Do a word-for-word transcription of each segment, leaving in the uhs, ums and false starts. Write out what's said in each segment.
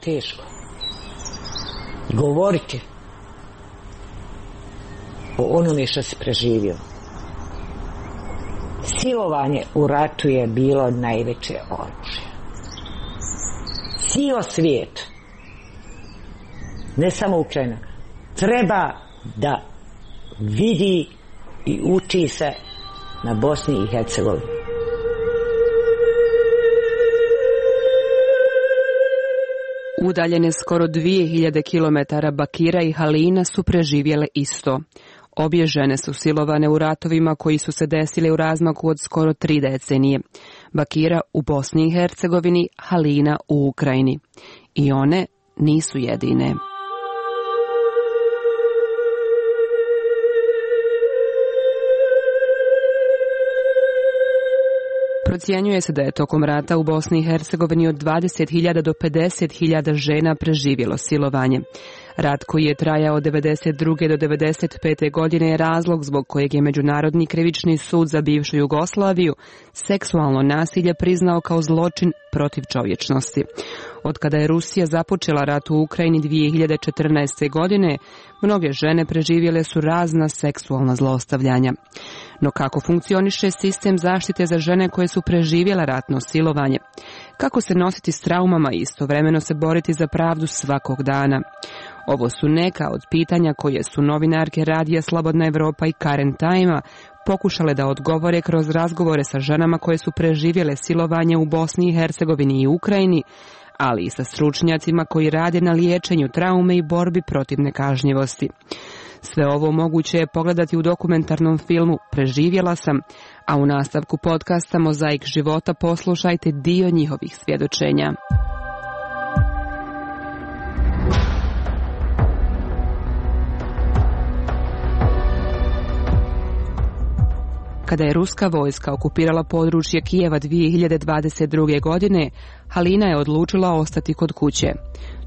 teško. Govoriti o onome što si preživio. Silovanje u ratu je bilo najveće oružje. Cijel svijet, ne samo Ukrajina, treba da vidi i uči se na Bosni i Hercegovini. Udaljene skoro dvije hiljade kilometara Bakira i Halina su preživjele isto. Obje žene su silovane u ratovima koji su se desili u razmaku od skoro tri decenije. Bakira u Bosni i Hercegovini, Halina u Ukrajini. I one nisu jedine. Procjenjuje se da je tokom rata u Bosni i Hercegovini od dvadeset hiljada do pedeset hiljada žena preživjelo silovanje. Rat koji je trajao od devedeset druge do devedeset pete godine je razlog zbog kojeg je Međunarodni krivični sud za bivšu Jugoslaviju seksualno nasilje priznao kao zločin protiv čovječnosti. Od kada je Rusija započela rat u Ukrajini dvije hiljade četrnaeste. godine, mnoge žene preživjele su razna seksualna zlostavljanja. No kako funkcioniše sistem zaštite za žene koje su preživjela ratno silovanje? Kako se nositi s traumama i istovremeno se boriti za pravdu svakog dana? Ovo su neka od pitanja koje su novinarke Radija Slobodna Evropa i Karen Time pokušale da odgovore kroz razgovore sa ženama koje su preživjele silovanje u Bosni i Hercegovini i Ukrajini, ali i sa stručnjacima koji rade na liječenju traume i borbi protiv nekažnjivosti. Sve ovo moguće je pogledati u dokumentarnom filmu Preživjela sam, a u nastavku podcasta Mozaik života poslušajte dio njihovih svjedočenja. Kada je ruska vojska okupirala područje Kijeva dvije hiljade dvadeset druge. godine, Halina je odlučila ostati kod kuće.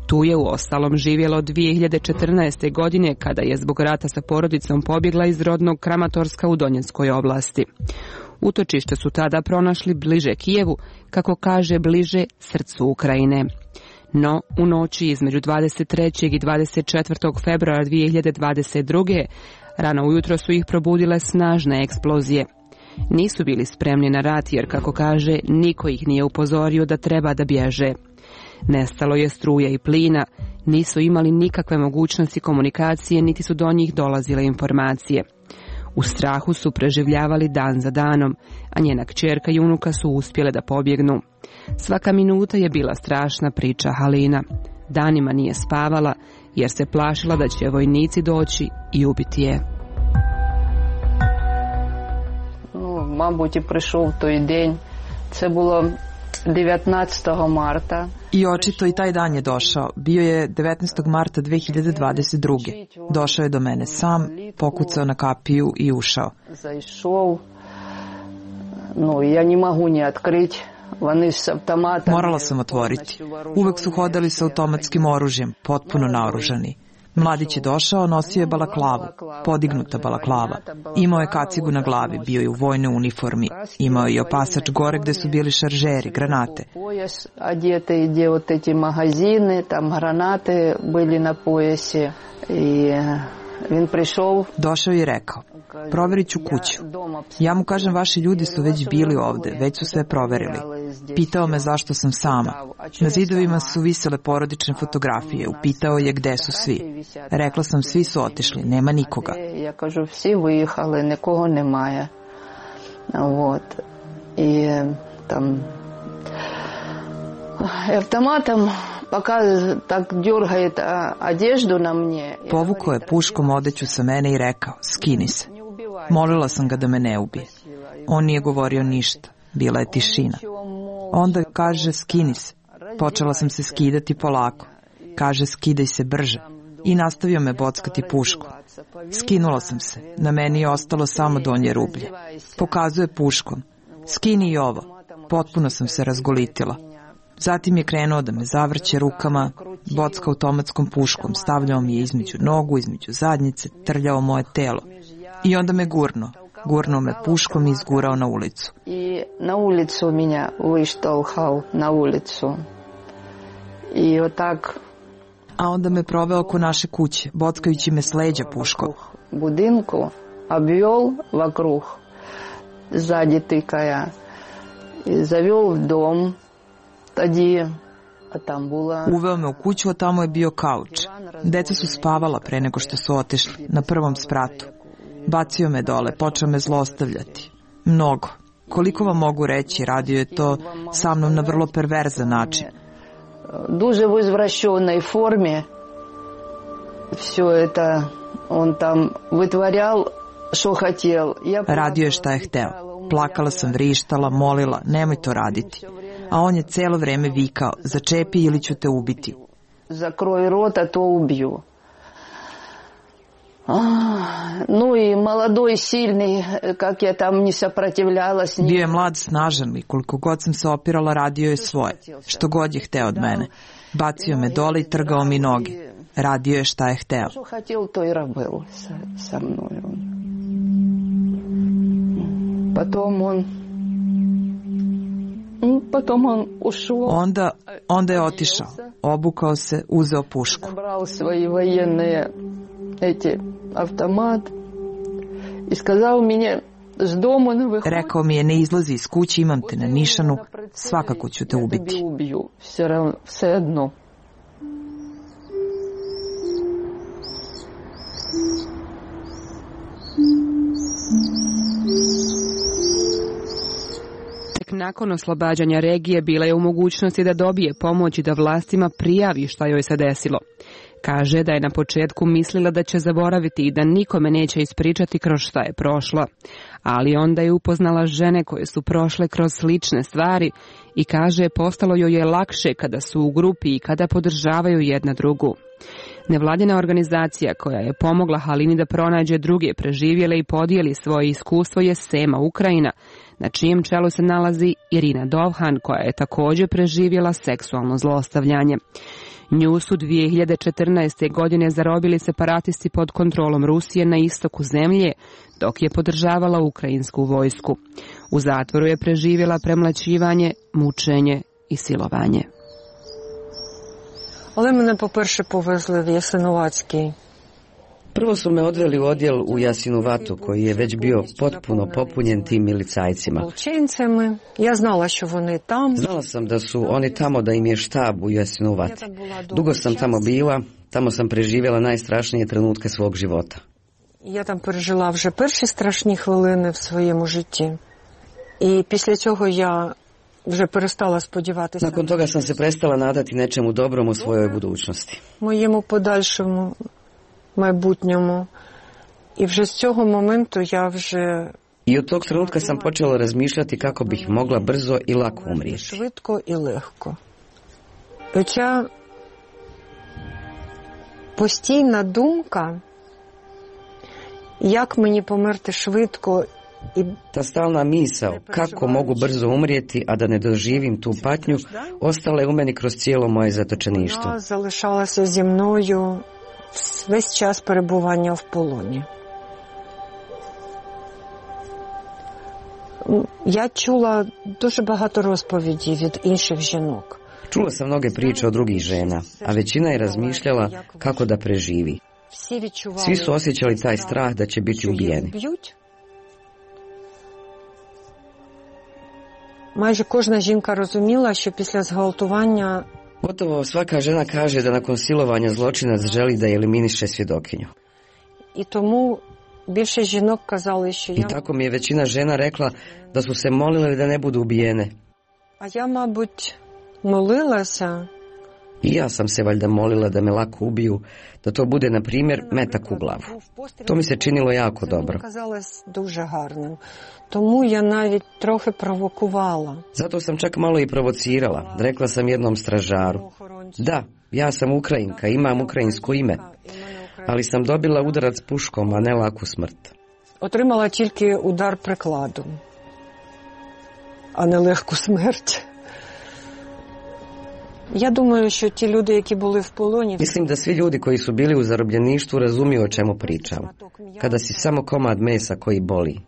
Tu je uostalom živjela od dvije hiljade četrnaeste. godine kada je zbog rata sa porodicom pobjegla iz rodnog Kramatorska u Donjeckoj oblasti. Utočište su tada pronašli bliže Kijevu, kako kaže bliže srcu Ukrajine. No, u noći između dvadeset trećeg i dvadeset četvrtog februara dvije hiljade dvadeset druge. rano ujutro su ih probudile snažne eksplozije. Nisu bili spremni na rat jer, kako kaže, niko ih nije upozorio da treba da bježe. Nestalo je struje i plina, nisu imali nikakve mogućnosti komunikacije, niti su do njih dolazile informacije. U strahu su preživljavali dan za danom, a njena kćerka i unuka su uspjele da pobjegnu. Svaka minuta je bila strašna, priča Halina. Danima nije spavala jer se plašila da će vojnici doći i ubiti je. Ну, мабуть, і прийшов той день. Це було devetnaestog marta. I očito i taj dan je došao. Bio je devetnaestog marta dve hiljade dvadeset druge. Došao je do mene sam, pokucao na kapiju i ušao. Zaišao. No, ja ne mogu ni otkriti. Morala sam otvoriti. Uvek su hodali sa automatskim oružjem, potpuno naoružani. Mladić je došao, nosio je balaklavu, podignuta balaklava. Imao je kacigu na glavi, bio je u vojnoj uniformi. Imao je i opasač gore gde su bili šaržeri, granate. Одеты, где вот эти магазины, там гранаты были на поясе. И он пришел. Došao je i rekao: proverit ću kuću. Ja mu kažem, vaši ljudi su već bili ovde, već su sve proverili. Pitao me zašto sam sama. Na zidovima su visele porodične fotografije. Upitao je gde su svi. Rekla sam, svi su otišli, nema nikoga. Ja kažu, svi vyjehali, nikogo nemaje. Вот. I tam автоматом пока так дергает одежду на мне. Povukao je puškom odeću sa mene i rekao: skini se. Molila sam ga da me ne ubije. On nije govorio ništa. Bila je tišina. Onda kaže: skini se. Počela sam se skidati polako. Kaže: skidaj se brže. I nastavio me bockati puškom. Skinula sam se. Na meni je ostalo samo donje rublje. Pokazuje puškom: skini i ovo. Potpuno sam se razgolitila. Zatim je krenuo da me zavrće rukama, bocka automatskom puškom, stavljao mi je između nogu, između zadnjice, trljao moje telo. I onda me gurno. Gurnuo me puškom i izgurao na ulicu. I na ulicu minja vyštalhal, na ulicu. I otak... A onda me proveo oko naše kuće, bockajući me s leđa puškom. Budinku обвел вокруг, сзади тыкая, и завел в дом. Тоді, а там була... Uveo me u kuću, a tamo je bio kauč. Deca su spavala pre nego što su otišli, na prvom spratu. Bacio me dole, počeo me zlostavljati. Mnogo. Koliko vam mogu reći, radio je to sa mnom na vrlo perverzan način. Дуже в извращенной форме все это он там вытворял, что хотел. Radio je šta je hteo. Plakala sam, vrištala, molila, nemoj to raditi. A on je celo vreme vikao, začepi ili ću te ubiti. Закрой рот, а то убью. Ну и молодой, сильный, как я там не сопротивлялась. Bio je mlad, snažan i koliko god sam se opirala, radio je svoje. Što god je hteo od mene. Bacio me dole i trgao mi noge. Radio je šta je hteo. Što хотел, то и работал со мной. Потом он Potom on ušao. Onda, onda je otišao. Obukao se, uzeo pušku. Zabral svoje vojene eti automat i skazao mi je s doma ne vyhodi. Rekao mi je, ne izlazi iz kuće, imam te na nišanu, svakako ću te ubiti. Ja ubiju, sve ravno, sve jedno. Nakon oslobađanja regije bila je u mogućnosti da dobije pomoć i da vlastima prijavi šta joj se desilo. Kaže da je na početku mislila da će zaboraviti i da nikome neće ispričati kroz šta je prošla. Ali onda je upoznala žene koje su prošle kroz slične stvari i kaže postalo joj je lakše kada su u grupi i kada podržavaju jedna drugu. Nevladina organizacija koja je pomogla Halini da pronađe druge preživjele i podijeli svoje iskustvo je Sema Ukrajina, na čijem čelu se nalazi Irina Dovhan, koja je također preživjela seksualno zlostavljanje. Nju su dvije hiljade četrnaeste. godine zarobili separatisti pod kontrolom Rusije na istoku zemlje, dok je podržavala ukrajinsku vojsku. U zatvoru je preživjela premlaćivanje, mučenje i silovanje. Але мене, по-перше, повезли в Jasenovački. Prvo su me odveli u odjel u Jasenovatu, koji je već bio potpuno popunjen tim milicajcima. Ja znala što oni tam. Znala sam da su oni tamo, da im je štab u Jasenovati. Dugo sam tamo bila, tamo sam preživjela najstrašnije trenutke svog života. Я там пережила вже перші страшні хвилини в своєму житті. І після цього я вже перестала сподіватися. Nakon toga sam se prestala nadati nečemu dobrom u svojoj budućnosti. Моєму подальшому майбутньому. І вже з цього моменту я вже I od tog trenutka sam počela razmišljati kako bih mogla brzo i lako umrijeti. Швидко і легко. Оця постійна думка, як мені померти швидко. Ta stalna misao, kako mogu brzo umrijeti, a da ne doživim tu patnju, ostala je u meni kroz cijelo moje zatočeništvo. Вона залишалася зі мною весь час перебування в полоні. Я чула дуже багато розповідей від інших жінок. Čula sam mnoge priče od drugih žena, a većina je razmišljala kako da preživi. Svi su osjećali taj strah da će biti ubijeni. Майже кожна жінка розуміла, що після зґвалтування Gotovo svaka žena kaže da nakon silovanja zločinac želi da eliminiše svjedokinju. І тому більше жінок казали, що I я... tako mi je većina žena rekla da su se molile da ne budu ubijene. А я, мабуть, молилася. I ja sam se valjda molila da me lako ubiju, da to bude, na primjer, metak u glavu. To mi se činilo jako dobro. Казалось дуже гарним. Тому я навіть трохи провокувала. Zato sam čak malo i provocirala. Rekla sam jednom stražaru: da, ja sam Ukrajinka, imam ukrajinsko ime, ali sam dobila udarac puškom, a ne laku smrt. Отримала тільки удар прикладом, а не легку смерть. Я думаю, що ті люди, які були в полоні... Mislim da svi ljudi koji su bili u zarobljeništvu razumiju o čemu pričam. Kada si samo komad mesa koji boli.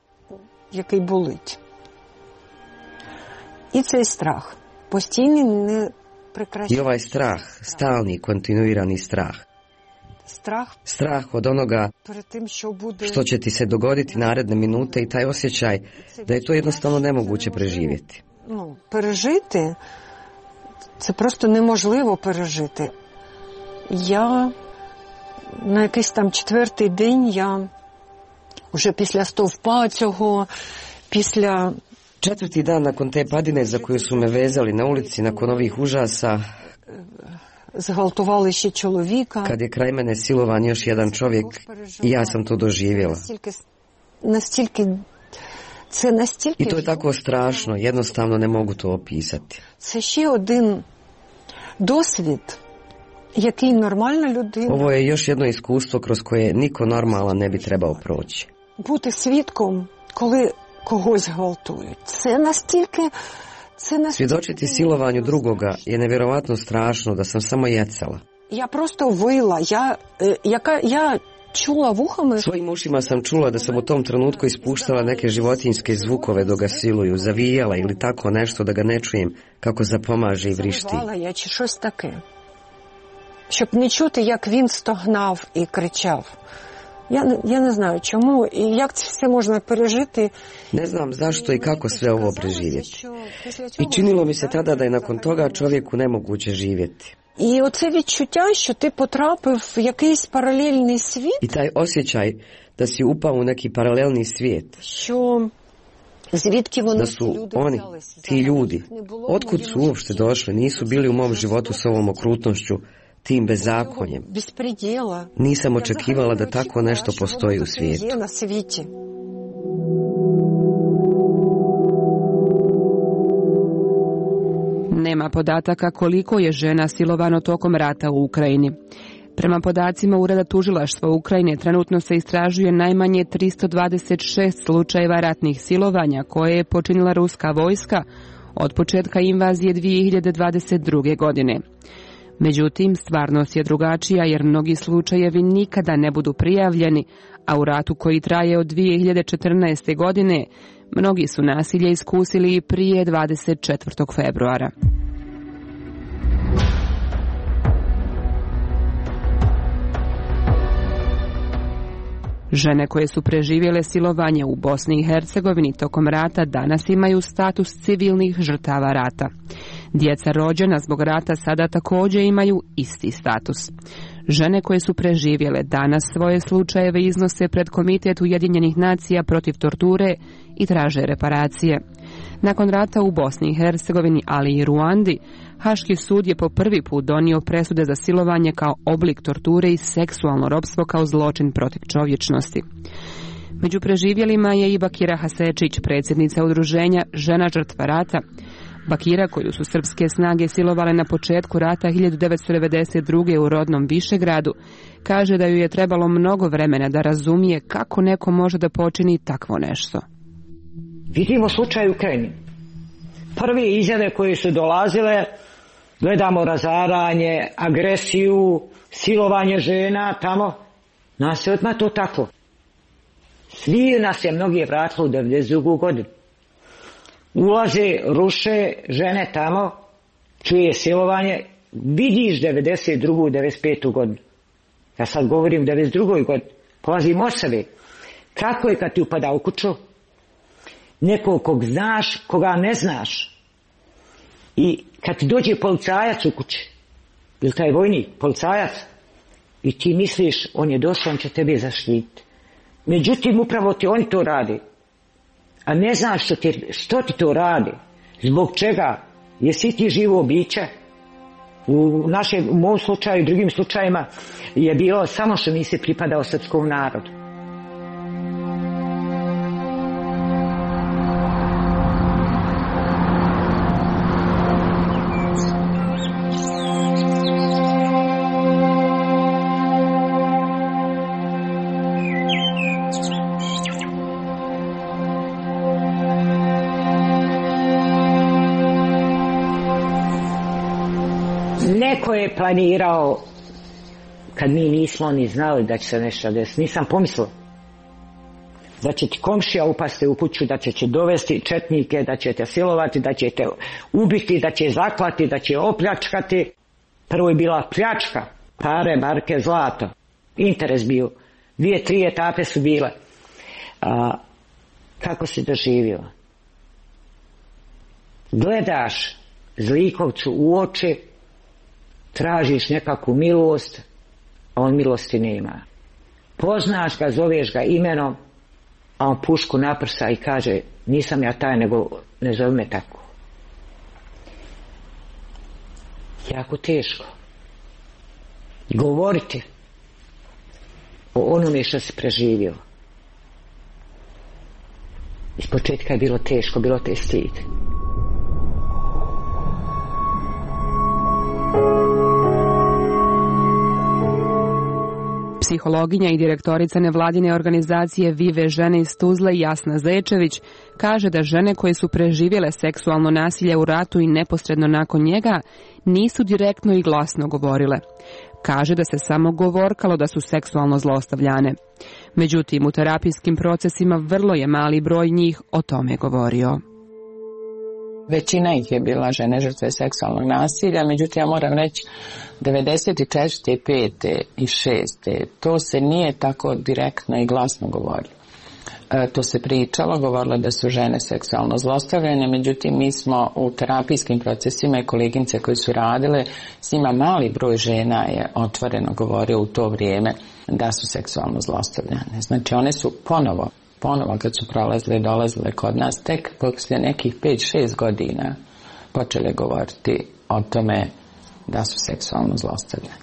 Який болить. І цей страх. Постійний, не, I ovaj strah, stalni, kontinuirani strah. Strah od onoga što će ti se dogoditi naredne minute i taj osjećaj da je to jednostavno nemoguće preživjeti. Ну, пережити, це просто неможливо пережити. Я на якийсь там четвертий день, я вже після стовпа цього, після... Četvrti dan nakon te padine za koju su me vezali na ulici, nakon ovih užasa, zґвалтували ще чоловіка. Kad je kraj mene silovan još jedan čovjek, i ja sam to doživjela. Настільки, це настільки... I to je tako strašno, jednostavno ne mogu to opisati. Це ще один досвід, який нормальна людина... Ovo je još jedno iskustvo kroz koje niko normalan ne bi trebao proći. Бути свідком, коли когось гвалтують. Це настільки... Svjedočiti silovanju drugoga je nevjerovatno strašno da sam samo jecala. Ja prosto vila, ja, jaka, ja čula vuhama... Svojim ušima sam čula da sam u tom trenutku ispuštala neke životinjske zvukove dok ga siluju, zavijala ili tako nešto da ga ne čujem kako zapomaže i vrišti. Завивала я чи щось таке, щоб не чути, як він стогнав і кричав. Ja, ja ne znam čemu i jak se možda пережити. Ne znam zašto i kako sve ovo preživjeti. I činilo mi se tada da je nakon toga čovjeku nemoguće živjeti. І оце відчуття, що ти потрапив в якийсь паралельний світ. I taj osjećaj da si upao u neki paralelni svijet. Що звідки вони da su oni, ti ljudi, otkud su uopšte došli, nisu bili u mom životu s ovom okrutnošću, tim bezakonjem. Nisam očekivala da tako nešto postoji u svijetu. Nema podataka koliko je žena silovano tokom rata u Ukrajini. Prema podacima Ureda tužilaštva Ukrajine trenutno se istražuje najmanje tristo dvadeset šest slučajeva ratnih silovanja koje je počinila ruska vojska od početka invazije dvije hiljade dvadeset druge. godine. Međutim, stvarnost je drugačija jer mnogi slučajevi nikada ne budu prijavljeni, a u ratu koji traje od dvije hiljade četrnaeste. godine mnogi su nasilje iskusili i prije dvadeset četvrtog februara. Žene koje su preživjele silovanje u Bosni i Hercegovini tokom rata danas imaju status civilnih žrtava rata. Djeca rođena zbog rata sada također imaju isti status. Žene koje su preživjele danas svoje slučajeve iznose pred Komitet Ujedinjenih nacija protiv torture i traže reparacije. Nakon rata u Bosni i Hercegovini, ali i Ruandi, Haški sud je po prvi put donio presude za silovanje kao oblik torture i seksualno ropstvo kao zločin protiv čovječnosti. Među preživjelima je i Bakira Hasečić, predsjednica udruženja Žena žrtva rata. Bakira, koju su srpske snage silovale na početku rata hiljadu devetsto devedeset druge. u rodnom Višegradu, kaže da ju je trebalo mnogo vremena da razumije kako neko može da počini takvo nešto. Vidimo slučaj u Ukrajini. Prve izjave koje su dolazile, gledamo razaranje, agresiju, silovanje žena tamo, nas je odmah to tako. Svi nas je mnogi vratili u devedeset drugu. godinu. Ulaze, ruše žene tamo, čuje silovanje, vidiš devedeset drugu. devedeset petu. godinu. Ja sad govorim devedeset drugoj. godini. Polazim od sebe. Kako je kad ti upada u kuću? Nekog kog znaš, koga ne znaš. I kad ti dođe policajac u kući, ili taj vojnik, policajac, i ti misliš, on je došao, on će tebe zaštiti. Međutim, upravo ti oni to radi. A ne znaš što ti, što ti to radi. Zbog čega? Jesi ti živo biće? U našem, u mom slučaju i drugim slučajima je bilo samo što nisi pripadao srpskom narodu. Neko je planirao, kad mi nismo ni znali da će se nešto desiti. Nisam pomislila. da će ti komšija upasti u kuću, da će će dovesti četnike, da će te silovati, da će te ubiti, da će zaklati, da će opljačkati. Prvo je bila pljačka, pare, marke, zlato. Interes bio. Dvije, tri etape su bile. A, kako si doživio? Gledaš zlikovcu u oči, tražiš nekakvu milost, a on milosti nema. Poznaš ga, zoveš ga imenom, a on pušku naprsa i kaže, nisam ja taj, nego ne zove me tako. Jako teško govoriti o onome što si preživio. Iz početka je bilo teško, bilo te stid. Psihologinja i direktorica nevladine organizacije Vive žene iz Tuzle Jasna Zečević kaže da žene koje su preživjele seksualno nasilje u ratu i neposredno nakon njega nisu direktno i glasno govorile. Kaže da se samo govorkalo da su seksualno zlostavljane. Međutim, u terapijskim procesima vrlo je mali broj njih o tome govorio. Većina ih je bila žene žrtve seksualnog nasilja, međutim ja moram reći devedeset četvrte, pete i šeste to se nije tako direktno i glasno govorilo. E, to se pričalo, govorilo da su žene seksualno zlostavljane, međutim mi smo u terapijskim procesima i koleginice koji su radile, s njima mali broj žena je otvoreno govorio u to vrijeme da su seksualno zlostavljane. Znači one su ponovo ponovo kad su prolazile i dolazile kod nas, tek poslije nekih pet šest godina počele govoriti o tome da su seksualno zlostavljane.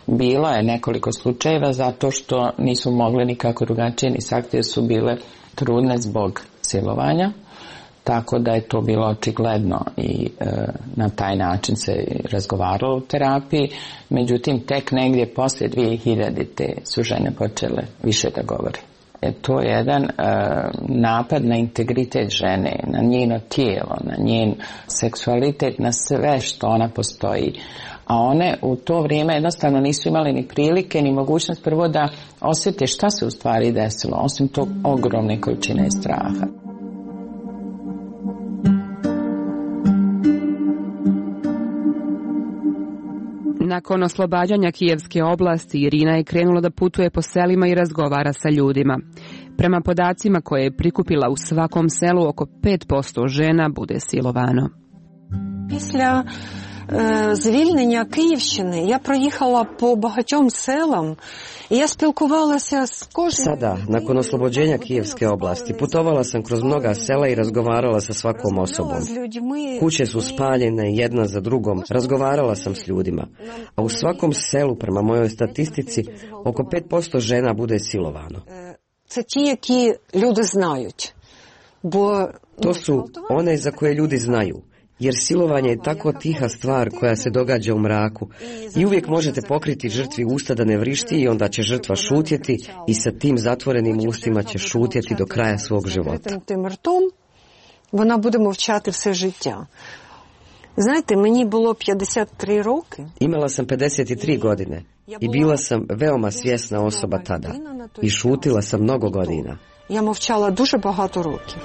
Bilo je nekoliko slučajeva zato što nisu mogli nikako drugačije ni sakriti, jer su bile trudne zbog silovanja, tako da je to bilo očigledno i e, na taj način se razgovaralo u terapiji. Međutim, tek negdje poslije dvije hiljadite su žene počele više da govore. To je jedan uh, napad na integritet žene, na njeno tijelo, na njen seksualitet, na sve što ona postoji. A one u to vrijeme jednostavno nisu imali ni prilike, ni mogućnost prvo da osjete šta se u stvari desilo, osim tog ogromne količine straha. Nakon oslobađanja Kijevske oblasti, Irina je krenula da putuje po selima i razgovara sa ljudima. Prema podacima koje je prikupila, u svakom selu oko pet posto žena bude silovano. Після е, звільнення Київщини я проїхала по багатьом селам i ja spilkovala s kožnim... Sada, nakon oslobođenja Kijevske oblasti, putovala sam kroz mnoga sela i razgovarala sa svakom osobom. Kuće su spaljene jedna za drugom, razgovarala sam s ljudima. A u svakom selu, prema mojoj statistici, oko pet posto žena bude silovano. Це ті, які люди знають. Бо... To su one za koje ljudi znaju. Jer silovanje je tako tiha stvar koja se događa u mraku i uvijek možete pokriti žrtvi usta da ne vrišti i onda će žrtva šutjeti i sa tim zatvorenim ustima će šutjeti do kraja svog života. Вона буде мовчати все життя. Знаєте, мені було п'ятдесят три роки. Imala sam pedeset tri godine i bila sam veoma svjesna osoba tada i šutila sam mnogo godina. Я мовчала дуже багато років.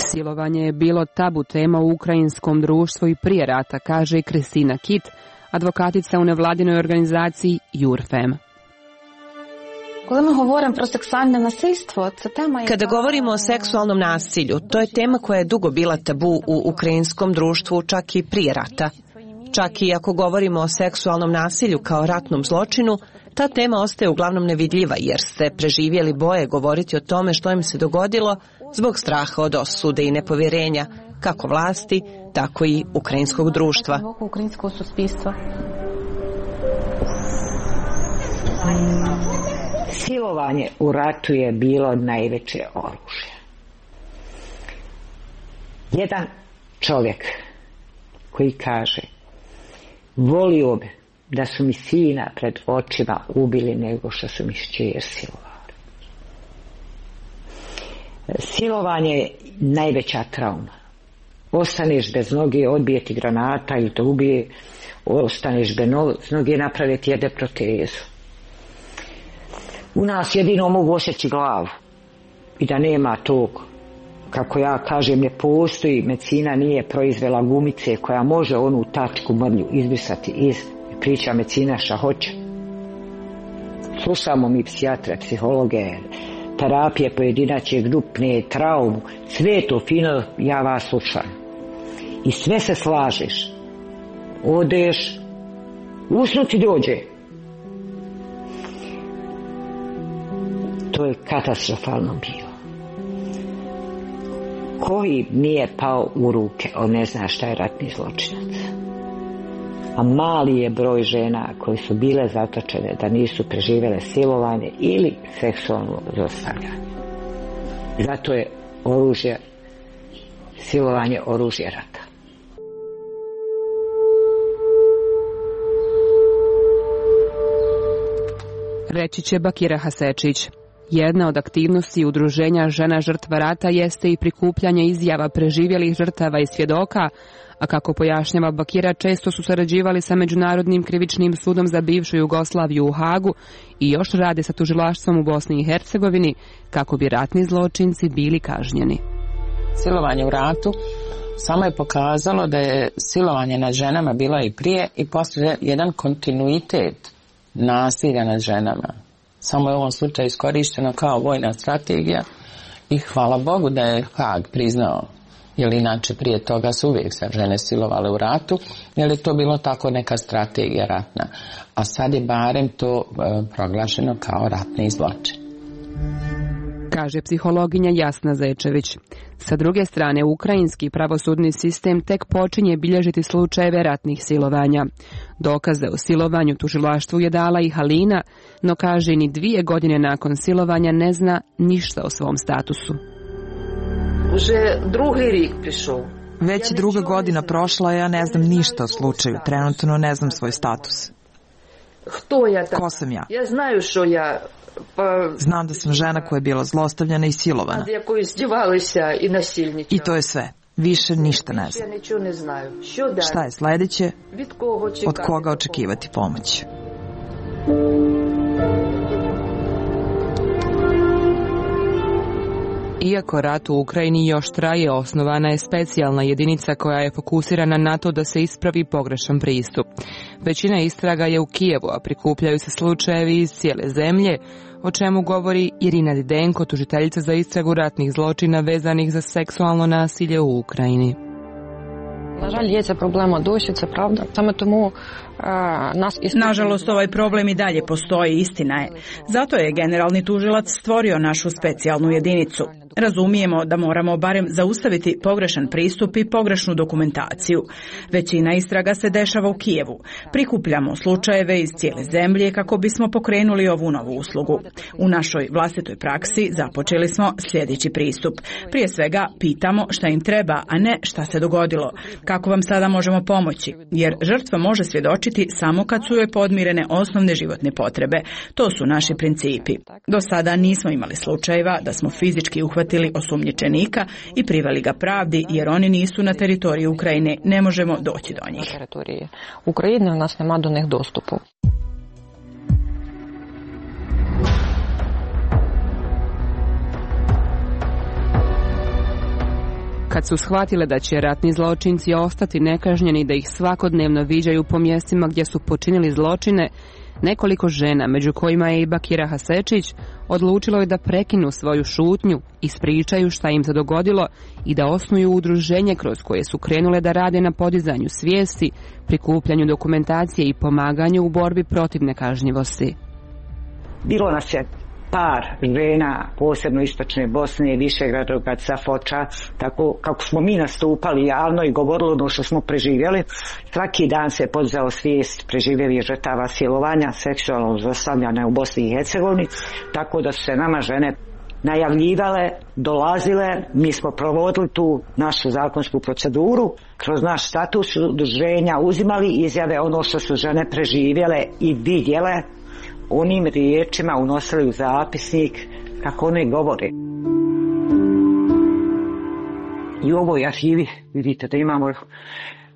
Silovanje je bilo tabu tema u ukrajinskom društvu i prije rata, kaže Kristina Kit, advokatica u nevladinoj organizaciji Jurfem. Kada govorimo o seksualnom nasilju, to je tema koja je dugo bila tabu u ukrajinskom društvu, čak i prije rata. Čak i ako govorimo o seksualnom nasilju kao ratnom zločinu, ta tema ostaje uglavnom nevidljiva jer se preživjeli boje govoriti o tome što im se dogodilo zbog straha od osude i nepovjerenja, kako vlasti, tako i ukrajinskog društva. Silovanje u ratu je bilo najveće oružje. Jedan čovjek koji kaže: volio bi da su mi sina pred očima ubili nego što su mi šćer silovali. Silovanje je najveća trauma. Ostaneš bez noge, odbije ti granata ili te ubije, ostaneš bez noge, naprave ti jede protezu. U nas jedino mogu osjeći glavu i da nema tog, kako ja kažem, ne postoji, medicina nije proizvela gumice koja može onu tačku mrlju izbrisati iz priča medicina šta hoće. Slušamo mi psihijatre, psihologe, terapije pojedinačne, grupne, traumu, sve to fino, ja vas slušam. I sve se slažeš. Odeš, usnuti dođe. To je katastrofalno bilo. Koji nije pao u ruke, on ne zna šta je ratni zločinac. A mali je broj žena koji su bile zatočene da nisu preživjele silovanje ili seksualno zlostavljanje. Zato je oružje, silovanje oružje rata. Reći će Bakira Hasečić. Jedna od aktivnosti udruženja žena žrtva rata jeste i prikupljanje izjava preživjelih žrtava i svjedoka, a kako pojašnjava Bakira, često su sarađivali sa Međunarodnim krivičnim sudom za bivšu Jugoslaviju u Hagu i još rade sa tužilaštvom u Bosni i Hercegovini kako bi ratni zločinci bili kažnjeni. Silovanje u ratu samo je pokazalo da je silovanje nad ženama bilo i prije i poslije jedan kontinuitet nasilja nad ženama. Samo je u ovom slučaju iskorišteno kao vojna strategija i hvala Bogu da je Hag priznao, jer inače prije toga su uvijek se žene silovale u ratu, jer je to bilo tako neka strategija ratna. A sad je barem to e, proglašeno kao ratni zločin. Kaže psihologinja Jasna Zečević. Sa druge strane, ukrajinski pravosudni sistem tek počinje bilježiti slučajeve ratnih silovanja. Dokaze o silovanju tužilaštvu je dala i Halina, no kaže ni dvije godine nakon silovanja ne zna ništa o svom statusu. Već druga godina prošla, ja ne znam ništa o slučaju. Trenutno ne znam svoj status. Ko sam ja? Znam da sam žena koja je bila zlostavljana i silovana. I to je sve. Više ništa ne znam. Šta je sljedeće? Od koga očekivati pomoć? Iako rat u Ukrajini još traje, osnovana je specijalna jedinica koja je fokusirana na to da se ispravi pogrešan pristup. Većina istraga je u Kijevu, a prikupljaju se slučajevi iz cijele zemlje, o čemu govori Irina Didenko, tužiteljica za istragu ratnih zločina vezanih za seksualno nasilje u Ukrajini. Nažalost, ovaj problem i dalje postoji, istina je. Zato je generalni tužilac stvorio našu specijalnu jedinicu. Razumijemo da moramo barem zaustaviti pogrešan pristup i pogrešnu dokumentaciju. Većina istraga se dešava u Kijevu. Prikupljamo slučajeve iz cijele zemlje kako bismo pokrenuli ovu novu uslugu. U našoj vlastitoj praksi započeli smo sljedeći pristup. Prije svega pitamo šta im treba, a ne šta se dogodilo. Kako vam sada možemo pomoći? Jer žrtva može svjedočiti samo kad su joj podmirene osnovne životne potrebe. To su naši principi. Do sada nismo imali slučajeva da smo fizički uhvatili osumnjičenika i priveli ga pravdi, jer oni nisu na teritoriju Ukrajine, ne možemo doći do njih. Ukrajine u nas nema do njih dostupu. Kad su shvatile da će ratni zločinci ostati nekažnjeni, da ih svakodnevno viđaju po mjestima gdje su počinili zločine, nekoliko žena, među kojima je i Bakira Hasečić, odlučilo je da prekinu svoju šutnju, ispričaju šta im se dogodilo i da osnuju udruženje kroz koje su krenule da rade na podizanju svijesti, prikupljanju dokumentacije i pomaganju u borbi protiv nekažnjivosti. Bilo nas je par žena, posebno istočne Bosne, Višegrada, Safoča, tako kako smo mi nastupali javno i govorili ono što smo preživjeli. Svaki dan se podizao svijest preživjelih žrtava silovanja, seksualnog zlostavljanja u Bosni i Hercegovini, tako da su se nama žene najavljivale, dolazile, mi smo provodili tu našu zakonsku proceduru, kroz naš status udruženja uzimali izjave ono što su žene preživjele i vidjele, onim riječima unosili u zapisnik kako one govore. I u ovoj arhivi vidite da imamo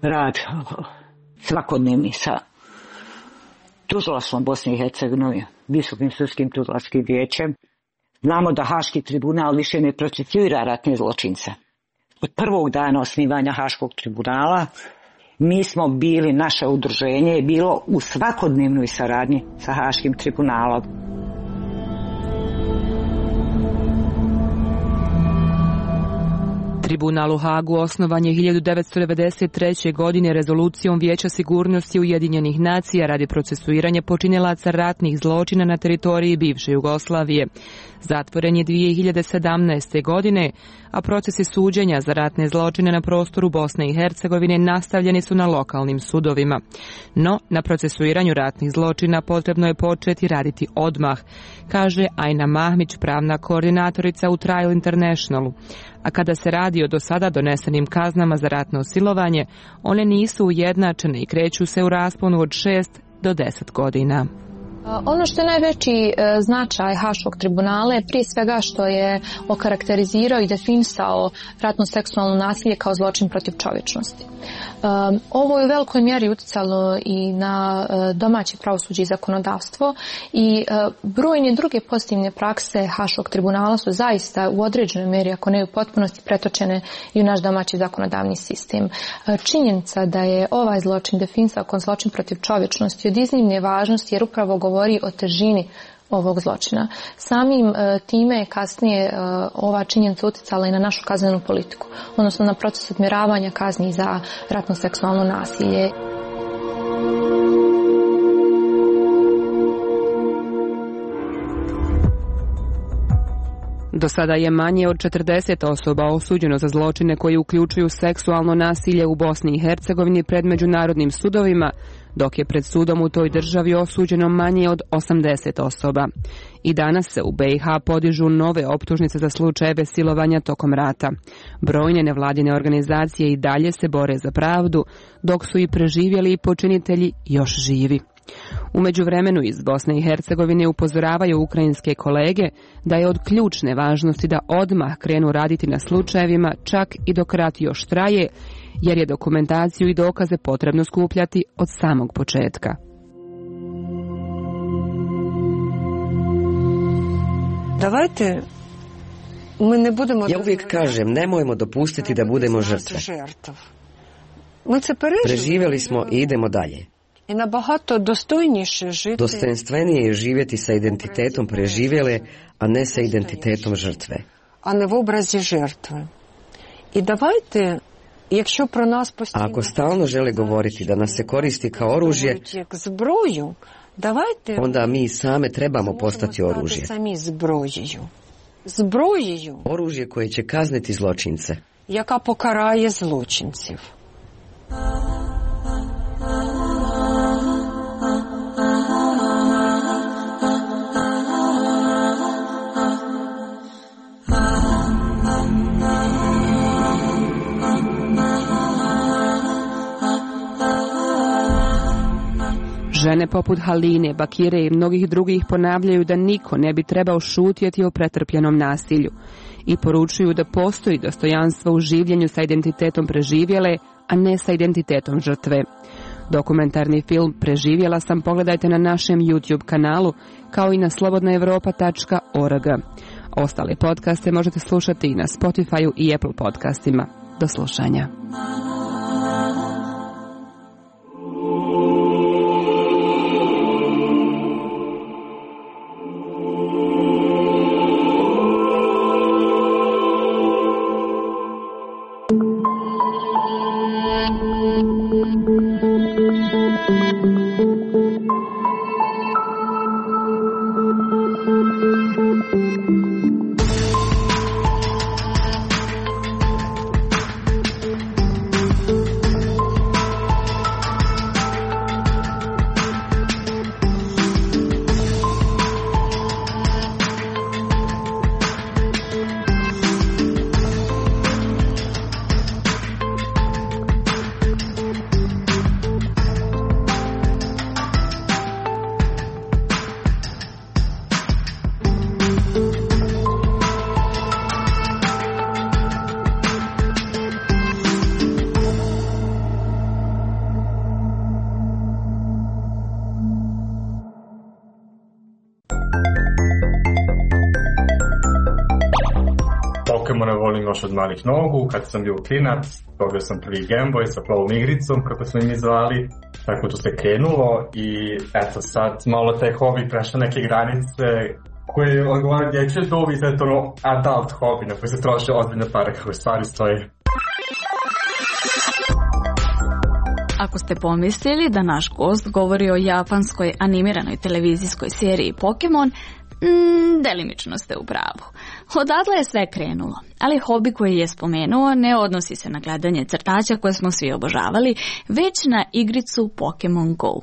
rad svakodnevni sa tužilaštvom Bosne i Hercegovine, Visokim sudskim tužilačkim vijećem. Znamo da Haški tribunal više ne procesuira ratne zločince. Od prvog dana osnivanja Haškog tribunala mi smo bili, naše udruženje je bilo u svakodnevnoj saradnji sa Haškim tribunalom. Tribunal u Hagu osnovan je hiljadu devetsto devedeset treće. godine rezolucijom Vijeća sigurnosti Ujedinjenih nacija radi procesuiranja počinilaca ratnih zločina na teritoriji bivše Jugoslavije. Zatvoren je dvije hiljade sedamnaeste. godine, a procesi suđenja za ratne zločine na prostoru Bosne i Hercegovine nastavljeni su na lokalnim sudovima. No, na procesuiranju ratnih zločina potrebno je početi raditi odmah, kaže Ajna Mahmić, pravna koordinatorica u Trial Internationalu. A kada se radi o do sada donesenim kaznama za ratno silovanje, one nisu ujednačene i kreću se u rasponu od šest do deset godina. Ono što je najveći značaj Haškog tribunala je prije svega što je okarakterizirao i definisao ratno seksualno nasilje kao zločin protiv čovječnosti. Ovo je u velikoj mjeri uticalo i na domaće pravosuđe i zakonodavstvo i brojne druge pozitivne prakse Haškog tribunala su zaista u određenoj mjeri, ako ne u potpunosti, pretočene i u naš domaći zakonodavni sistem. Činjenica da je ovaj zločin definisao kao zločin protiv čovječnosti od iznimne važnosti jer upravo govori o težini ovog zločina. Samim uh, time je kasnije uh, ova činjenica utjecala i na našu kaznenu politiku, odnosno na proces odmjeravanja kazni za ratno seksualno nasilje. Do sada je manje od četrdeset osoba osuđeno za zločine koji uključuju seksualno nasilje u Bosni i Hercegovini pred međunarodnim sudovima, dok je pred sudom u toj državi osuđeno manje od osamdeset osoba. I danas se u B i H podižu nove optužnice za slučajeve silovanja tokom rata. Brojne nevladine organizacije i dalje se bore za pravdu, dok su i preživjeli počinitelji još živi. U međuvremenu iz Bosne i Hercegovine upozoravaju ukrajinske kolege da je od ključne važnosti da odmah krenu raditi na slučajevima čak i dok rat još traje, jer je dokumentaciju i dokaze potrebno skupljati od samog početka. Davajte, mi ne budemo... Ja uvijek kažem, nemojmo dopustiti da budemo žrtve. Preživjeli smo i idemo dalje. I nabahato dostojніше žiti. Dostojanstvenije je živjeti sa identitetom preživjele, a ne sa identitetom žrtve. A ne v obrazi žrtve. I davajte, якщо про нас постійно... A ako stalno žele govoriti da nas se koristi kao oružje, зброю, давайте... onda mi same trebamo postati oružje. Самі зброєю. Зброєю. Oružje koje će kazniti zločince. Яка покарає злочинців. Žene poput Haline, Bakire i mnogih drugih ponavljaju da niko ne bi trebao šutjeti o pretrpljenom nasilju i poručuju da postoji dostojanstvo u življenju sa identitetom preživjele, a ne sa identitetom žrtve. Dokumentarni film Preživjela sam pogledajte na našem YouTube kanalu, kao i na slobodna europa tačka org. Ostale podcaste možete slušati i na Spotify-u i Apple podcastima. Do slušanja. Pokemone volim još od malih nogu, kad sam bio klinac, dobio sam prvi Game Boy sa plovom igricom, kako smo mi zvali, tako to se krenulo i eto sad malo taj hobi prešao neke granice koje odgovara dječje dobi, sad je to ono adult hobi na koji se troše ozbiljne pare kako stvari stoje. Ako ste pomislili da naš gost govori o japanskoj animiranoj televizijskoj seriji Pokemon, mm, delimično ste u pravu. Odatle je sve krenulo, ali hobi koji je spomenuo ne odnosi se na gledanje crtaća koje smo svi obožavali, već na igricu Pokemon Go.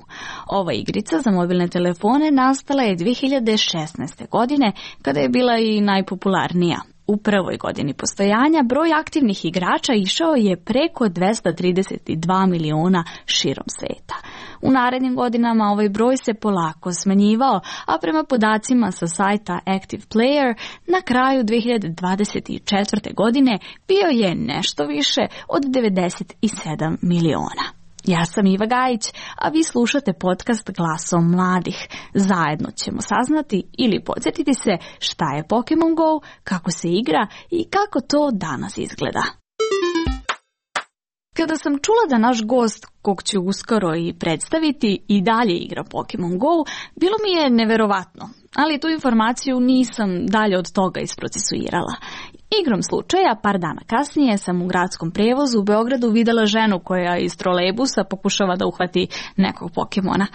Ova igrica za mobilne telefone nastala je dvije hiljade šesnaeste. godine, kada je bila i najpopularnija. U prvoj godini postojanja broj aktivnih igrača išao je preko dvesta trideset dva miliona širom sveta. U narednim godinama ovaj broj se polako smanjivao, a prema podacima sa sajta Active Player na kraju dvije hiljade dvadeset četvrte. godine bio je nešto više od devedeset sedam miliona. Ja sam Iva Gajić, a vi slušate podcast Glasom mladih. Zajedno ćemo saznati ili podsjetiti se šta je Pokemon Go, kako se igra i kako to danas izgleda. Kada sam čula da naš gost, kog ću uskoro i predstaviti, i dalje igra Pokemon Go, bilo mi je neverovatno, ali tu informaciju nisam dalje od toga isprocesuirala. Igrom slučaja, par dana kasnije sam u gradskom prevozu u Beogradu videla ženu koja iz trolejbusa pokušava da uhvati nekog Pokemona.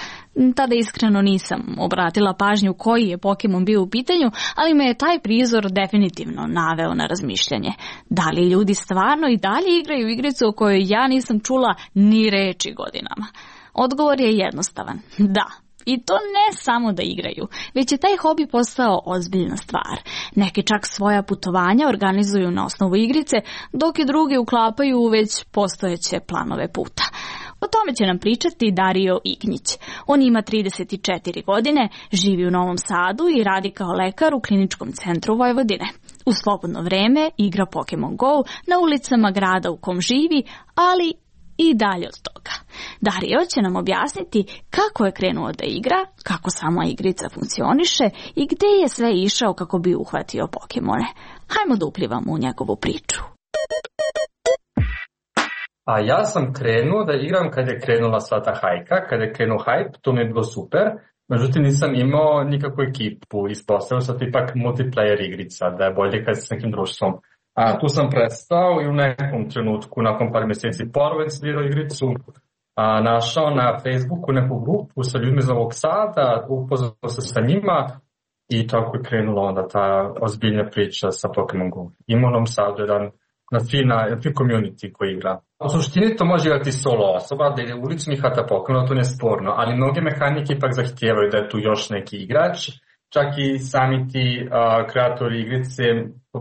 Tada iskreno nisam obratila pažnju koji je Pokemon bio u pitanju, ali me je taj prizor definitivno naveo na razmišljanje. Da li ljudi stvarno i dalje igraju igricu o kojoj ja nisam čula ni reči godinama? Odgovor je jednostavan. Da. I to ne samo da igraju, već je taj hobi postao ozbiljna stvar. Neki čak svoja putovanja organizuju na osnovu igrice, dok i drugi uklapaju u već postojeće planove puta. O tome će nam pričati Dario Ignjić. On ima trideset četiri godine, živi u Novom Sadu i radi kao lekar u Kliničkom centru Vojvodine. U slobodno vreme igra Pokemon Go na ulicama grada u kom živi, ali i dalje od toga. Dario će nam objasniti kako je krenuo da igra, kako sama igrica funkcioniše i gde je sve išao kako bi uhvatio Pokemone. Hajmo da uplivamo u njegovu priču. A ja sam krenuo da igram kad je krenula sva ta hajka, kad je krenuo hype, to mi je bilo super. Međutim, nisam imao nikakvu ekipu, ispostavio sam ipak multiplayer igrica, da je bolje kad s nekim društvom. A tu sam prestao i u nekom trenutku, nakon par mjeseci ponovo instalirao igricu, a, našao na Facebooku neku grupu sa ljudima iz Novog Sada, upoznao se sa njima i tako je krenula onda ta ozbiljna priča sa Pokemon Go. Ima u Novom Sadu jedan na fina, fin community koji igra. U suštini to može igrati solo osoba, da je ulični hvata Pokemon, to nije sporno, ali mnoge mehanike ipak zahtijevaju da je tu još neki igrač. Čak i sami ti uh, kreatori igrice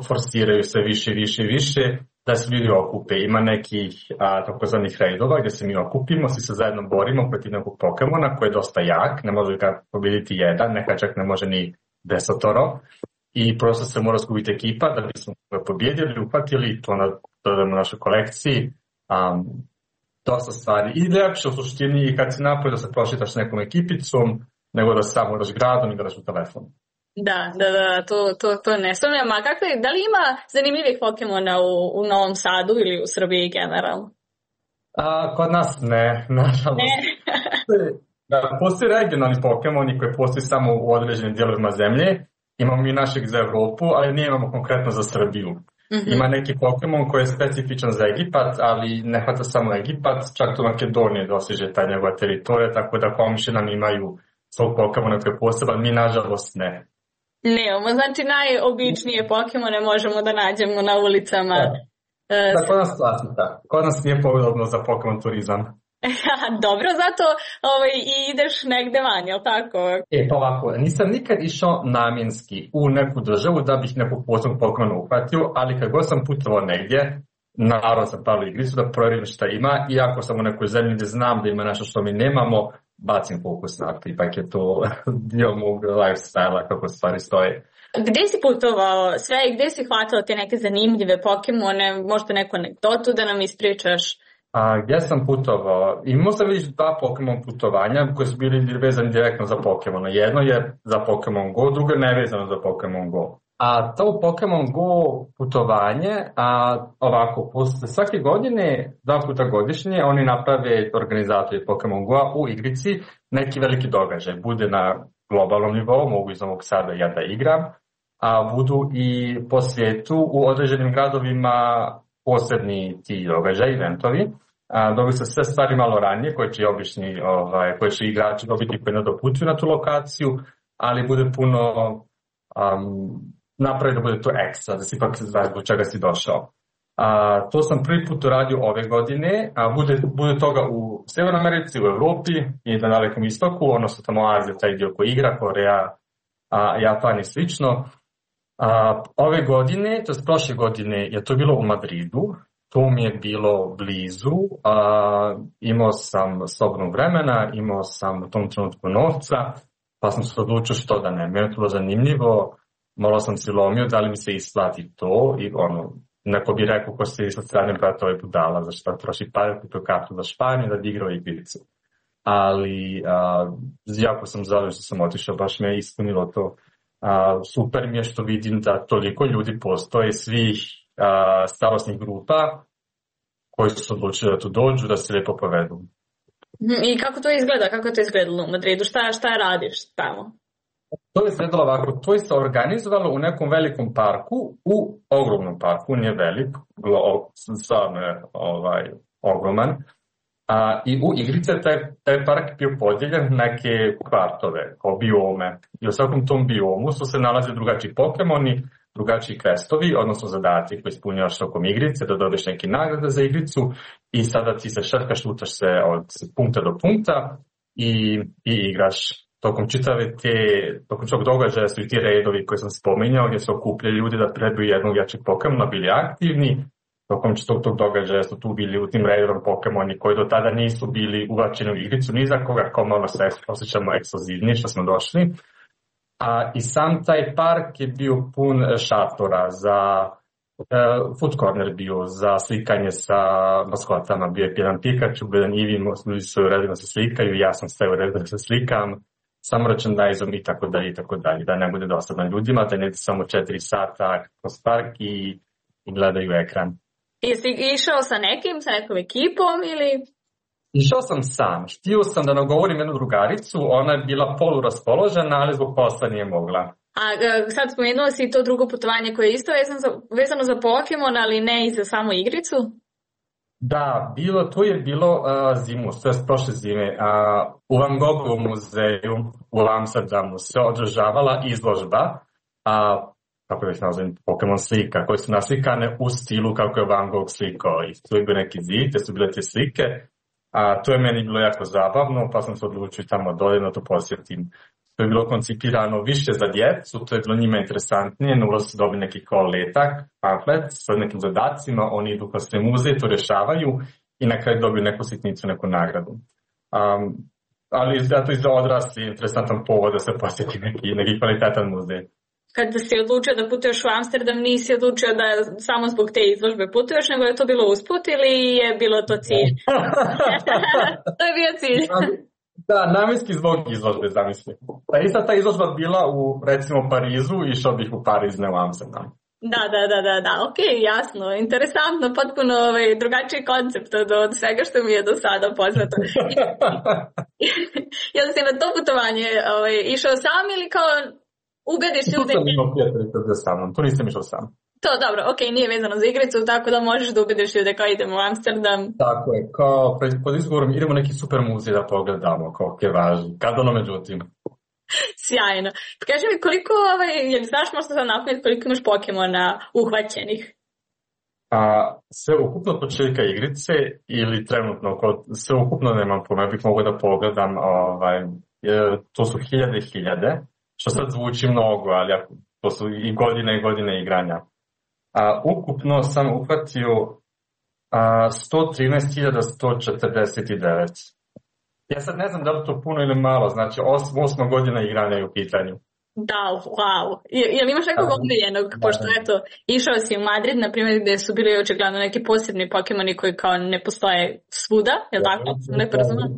forsiraju sve više, više, više da se ljudi okupe. Ima nekih uh, takozvanih raidova gdje se mi okupimo, svi se zajedno borimo protiv nekog Pokemona koji je dosta jak, ne može ga pobjediti jedan, neka čak ne može ni desetoro. I prosto se mora skupiti ekipa da bismo ga pobjedili, uhvatili, to dodamo na našoj kolekciji. Um, dosta stvari. I lepše u suštini kad si napolje da se prošitaš s nekom ekipicom, nego da samo igraš gradom i igraš u telefonu. Da, da, da, to, to, to ne sumnjam. A kakve, da li ima zanimljivih Pokemona u, u Novom Sadu ili u Srbiji generalno? A, kod nas ne, nažalost. Ne. Da, postoji regionalni Pokemoni koji postoji samo u određenim dijelovima zemlje. Imamo mi našeg za Evropu, ali nije imamo konkretno za Srbiju. Mm-hmm. Ima neki Pokemon koji je specifičan za Egipat, ali ne hvata samo Egipat, čak to Makedonije dosiže taj njegova teritorija, tako da komši nam imaju svog Pokemona koji je poseban, mi nažalost ne. Nemamo, znači najobičnije Pokemone možemo da nađemo na ulicama. Da, da kod nas klasika. Kod nas nije podobno za Pokemon turizam. Dobro, zato ovaj, i ideš negde van, jel tako? E, pa ovako, nisam nikad išao namjenski u neku državu da bih nekog posebnog Pokemona uhvatio, ali kad god sam putovao negdje, naravno sam pravio igricu da provjerim šta ima, i ako sam u nekoj zemlji gdje znam da ima nešto što mi nemamo, bacim fokus na to, ipak je to dio mog lifestyle-a kako stvari stoje. Gde si putovao sve i gde si hvatao te neke zanimljive Pokemone, možda neku anegdotu da nam ispričaš? A, gdje sam putovao? Imao sam već dva Pokemon putovanja koji su bili vezani direktno za Pokemona. Jedno je za Pokemon Go, drugo je nevezano za Pokemon Go. A to Pokemon Go putovanje, a ovako, posle svake godine, dva puta godišnje, oni naprave organizatori Pokemon Go u igrici neki veliki događaj. Bude na globalnom nivou, mogu iz Novog Sada ja da igram, a budu i po svijetu u određenim gradovima posebni ti događaj, eventovi. Dobiju se sve stvari malo ranije, koje će obični, ovaj, koje će igrači dobiti koji ne doputuju na tu lokaciju, ali bude puno um, napravi da bude to ekstra, da si ipak znaš zbog čega si došao. A, to sam prvi put uradio ove godine, a bude, bude toga u Severnoj Americi, u Evropi i na Dalekom istoku, odnosno tamo Azija, taj dio koji igra, Koreja, a, Japan i slično. A, ove godine, to je prošle godine, je to bilo u Madridu, to mi je bilo blizu, a, imao sam slobodnog vremena, imao sam u tom trenutku novca, pa sam se odlučio što da ne, meni je to bilo zanimljivo, malo sam si lomio da li mi se isplati to i ono, neko bi rekao ko se sa strane brata ovaj budala, zašto troši pare, kupio kartu za Španiju da bi igrao igricu. Ali a, jako sam zadovoljan što sam otišao, baš me je ispunilo to. A, super mi je što vidim da toliko ljudi postoje, svih a, starosnih grupa koji su se odlučili da tu dođu, da se lijepo povedu. I kako to izgleda? Kako je to izgledalo u Madridu? Šta, šta radiš tamo? To je izgledalo ovako, to je se organizovalo u nekom velikom parku, u ogromnom parku, nije velik, stvarno je ovaj, ogroman. A, I u igrice taj, taj park bio podijeljen neke kvartove, kao biome. I u svakom tom biomu su se nalaze drugačiji Pokemoni, drugačiji kvestovi, odnosno zadati koji ispunjavaš tokom igrice, da dobiješ neke nagrade za igricu i sada ti se šetkaš, lutaš se od punkta do punkta i, i igraš. Tokom čitave te, tokom čog događaja su i ti redovi koji sam spominjao, gdje su okupljali ljudi da trebaju jednog jačeg Pokemona, bili aktivni. Tokom čitog tog događaja su tu bili u tim redovim Pokemoni koji do tada nisu bili uvačeni u igricu, ni za koga, kao malo se osjećamo ekskluzivni što smo došli. A i sam taj park je bio pun šatora za uh, food corner bio, za slikanje sa maskotama. Bio je jedan Pikachu, bio jedan Eevee, ljudi su redovno se slikaju, ja sam sve redovno da se slikam. Samo merchandise-om i tako dalje i tako dalje, da ne bude dosadno ljudima, da ne bude samo četiri sata kroz park i, i gledaju ekran. Jesi išao sa nekim, sa nekom ekipom ili? Išao sam sam, htio sam da nagovorim jednu drugaricu, ona je bila poluraspoložena, ali zbog posla nije mogla. A sad spomenuo si to drugo putovanje koje je isto vezano za, vezano za Pokemon, ali ne i za samu igricu? Da, bilo, to je bilo uh, zimu, to je prošle zime. Uh, u Van Gogovom muzeju u Amsterdamu se održavala izložba, a uh, kako bih nazvim, Pokemon slika, koje su naslikane u stilu kako je Van Gogh slikao. I tu je bio neki zid, te su bile te slike. A uh, to je meni bilo jako zabavno, pa sam se odlučio tamo doljeno to posjetim. To je bilo koncipirano više za djecu, to je bilo njima interesantnije, na ulazu su dobili neki kao letak, pamflet sa nekim zadacima, oni idu kroz sve muzeje, to rešavaju i na kraju dobiju neku sitnicu, neku nagradu. Um, ali zato i za odrasli interesantan povod da se posjeti neki, neki kvalitetan muzej. Kada si odlučio da putuješ u Amsterdam, nisi odlučio da samo zbog te izložbe putuješ, nego je to bilo usput ili je bilo to cilj? To je bio cilj. Da, namjenski zbog izložbe, zamisli. Pa ista ta izložba bila u, recimo, Parizu, išao bih u Pariz, ne u Amsterdam. Da, da, da, da, da, ok, jasno, interesantno, potpuno ovaj, drugačiji koncept od, od svega što mi je do sada poznato. Jel si na to putovanje ovaj, išao sam ili kao ubediš ljude? Tu sam imao prijateljica sa mnom, tu nisam išao sam. To dobro, ok, nije vezano za igricu, tako da možeš da ubediš ljude kao idemo u Amsterdam. Tako je, kao pod izgovorom idemo neki super muzej da pogledamo, kao je važno, kad ono međutim. Sjajno. Kaži mi koliko, ovaj, jel znaš možda sad napuniti koliko imaš Pokemona uhvaćenih? A, sve ukupno početka igrice ili trenutno, sve ukupno nemam pojma, bih mogao da pogledam, ovaj, to su hiljade i hiljade, što sad zvuči mnogo, ali to su i godine i godine igranja. A, ukupno sam uhvatio a, sto trinaest hiljada sto četrdeset devet. Ja sad ne znam da li to puno ili malo, znači osma, osma godina igranja je u pitanju. Da, wow. Jel imaš nekog omiljenog, pošto eto, išao si u Madrid, na primjer, gdje su bili očigledno neki posebni Pokemoni koji kao ne postoje svuda, je li tako? Ne porazumem?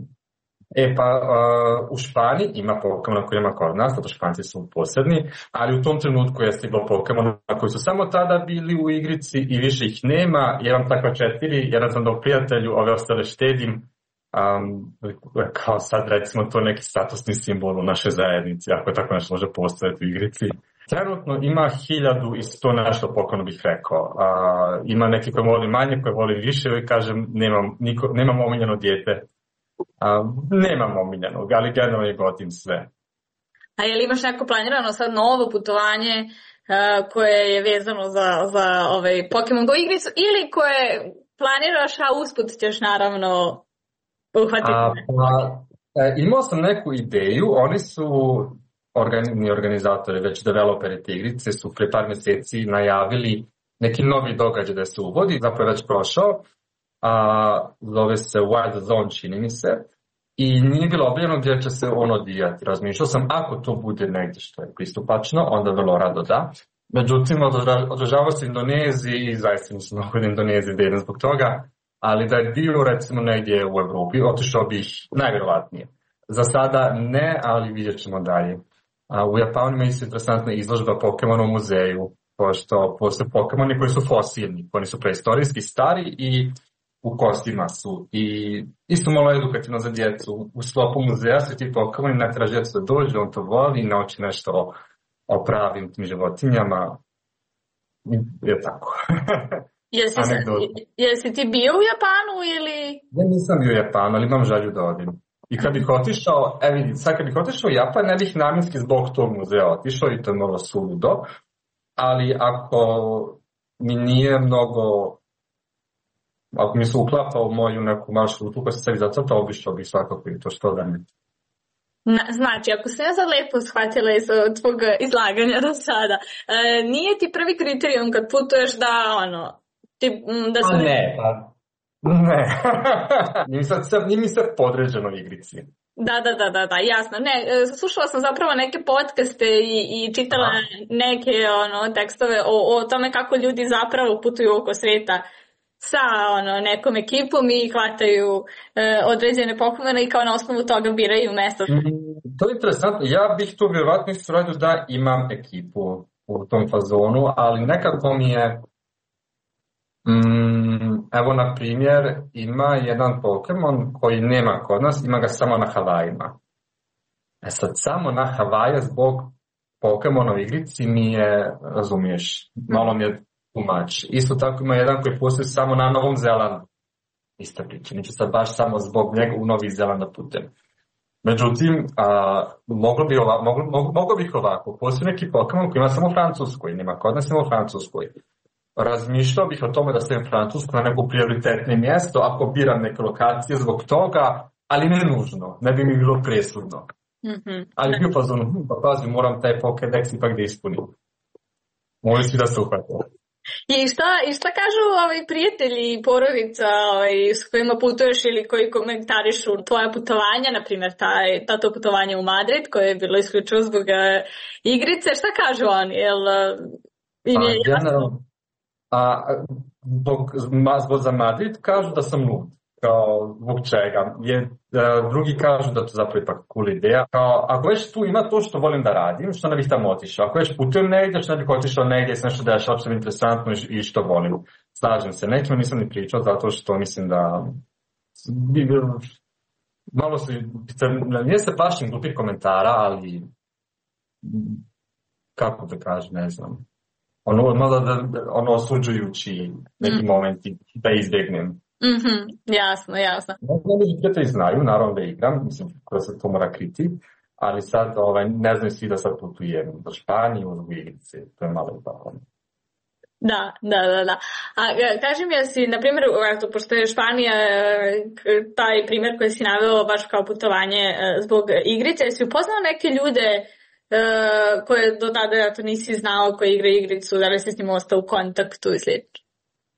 E pa uh, u Španiji ima Pokemona koji ima kod nas, zato Španci su posebni, ali u tom trenutku je stiglo Pokemona koji su samo tada bili u igrici i više ih nema. Ja imam takva četiri, jedan sam dao prijatelju, ove ostale štedim. Um, kao sad recimo to neki statusni simbol u našoj zajednici, ako je tako nešto može postojati u igrici. Trenutno ima hiljadu i sto nešto Pokemona bih rekao. Uh, ima neki koji voli manje, koji voli više i kažem nemam, niko, nemam omiljeno dijete. Uh, nemam omiljenog, ali generalno je gotim sve. A je li imaš neko planirano sad novo putovanje uh, koje je vezano za, za ovaj Pokemon Go igricu ili koje planiraš, a usput ćeš naravno uhvatiti? A, pa, e, imao sam neku ideju, oni su organi, organizatori, već developeri te igrice su pre par mjeseci najavili neki novi događaj da se uvodi, zapravo je već prošao. A, zove se Wild Zone, čini mi se, i nije bilo objavljeno gdje će se on odvijati. Razmišljao sam, ako to bude negdje što je pristupačno, onda vrlo rado da. Međutim, održavao se Indoneziji i zaista nisam mnogo da Indoneziji da idem zbog toga, ali da je bio recimo negdje u Evropi, otišao bih najvjerovatnije. Za sada ne, ali vidjet ćemo dalje. A, u Japanu ima isto interesantna izložba Pokemona u muzeju, pošto postoje Pokemoni koji su fosilni, oni su preistorijski stari i u kostima su. I isto malo edukativno za djecu. U sklopu muzeja su ti Pokemoni, ne treba djecu da dođe, on to voli i nauči nešto o, o pravim tim životinjama. Je tako. Jesi, jesi ti bio u Japanu ili? Ja nisam bio u Japanu, ali imam želju da odim. I kad bih otišao, e vidi, sad kad bih otišao u Japan, ne bih namjenski zbog tog muzeja otišao i to je malo suludo. Ali ako mi nije mnogo, ako mi se uklapa u moju neku maršrutu koja se sebi zacrtao, obišao bih svakako i to što da ne. Znači, ako sam ja sad lepo shvatila iz tvog izlaganja do sada, e, nije ti prvi kriterijum kad putuješ da, ono, ti, da se... A ne, pa, ne. Nije mi sad, nije mi sad podređeno igrici. Da, da, da, da, da, jasno. Ne, slušala sam zapravo neke podcaste i, i čitala Aha. neke ono, tekstove o, o tome kako ljudi zapravo putuju oko sveta sa ono, nekom ekipom i hvataju e, određene Pokemone i kao na osnovu toga biraju mesto. Mm, to je interesantno. Ja bih to vjerovatno isto radio da imam ekipu u tom fazonu, ali nekako mi je mm, evo na primjer ima jedan Pokemon koji nema kod nas, ima ga samo na Havajima. E sad samo na Havaje zbog Pokemona u igrici mi je, razumiješ, malo mi je tumač. Isto tako ima jedan koji postoji samo na Novom Zelandu. Ista priča, neću sad baš samo zbog njega u Novi Zeland da putem. Međutim, a, moglo, bi ova, moglo, moglo, moglo bih ovako, postoji neki Pokemon koji ima samo u Francuskoj, nema kod nas, nema u Francuskoj. Razmišljao bih o tome da stavim Francusku na neko prioritetno mjesto ako biram neke lokacije zbog toga, ali ne nužno, ne bi mi bilo presudno. Mm-hmm. Ali bio fazonu, pa pazi, moram taj Pokédex ipak da ispunim. Mogu si da se uhvatio. I šta, i šta kažu ovaj, prijatelji i porodica ovaj, s kojima putuješ ili koji komentarišu tvoja putovanja, na primjer taj, to putovanje u Madrid koje je bilo isključivo zbog uh, igrice, šta kažu oni? Jel, uh, im je jasno? A, zbog, zbog za Madrid kažu da sam lud. Kao, zbog čega? Je, uh, drugi kažu da to zapravo ipak cool ideja. Kao, ako već tu ima to što volim da radim, što ne bih tamo otišao. Ako već putujem negdje, što ne bih otišao negdje, se nešto dešava što je interesantno i što volim. Slažem se. Nekima nisam ni pričao zato što mislim da malo su, nije se plašim glupih komentara, ali kako da kažem, ne znam. Ono, malo da, ono osuđujući neki mm. momenti da izbjegnem. Mhm, jasno, jasno. Neki prijatelji znaju, naravno da igram, mislim da se to mora kriti, ali sad ovaj, ne znam svi da sad putujem do Španije, u igrice, to je malo tako. Da, da, da, da. A kaži mi, jesi, na primjer, eto, pošto je Španija taj primjer koji si naveo baš kao putovanje zbog igrice, jesi upoznao neke ljude koje do tada eto, nisi znao koji igraju igricu, da li si s njim ostao u kontaktu i slično?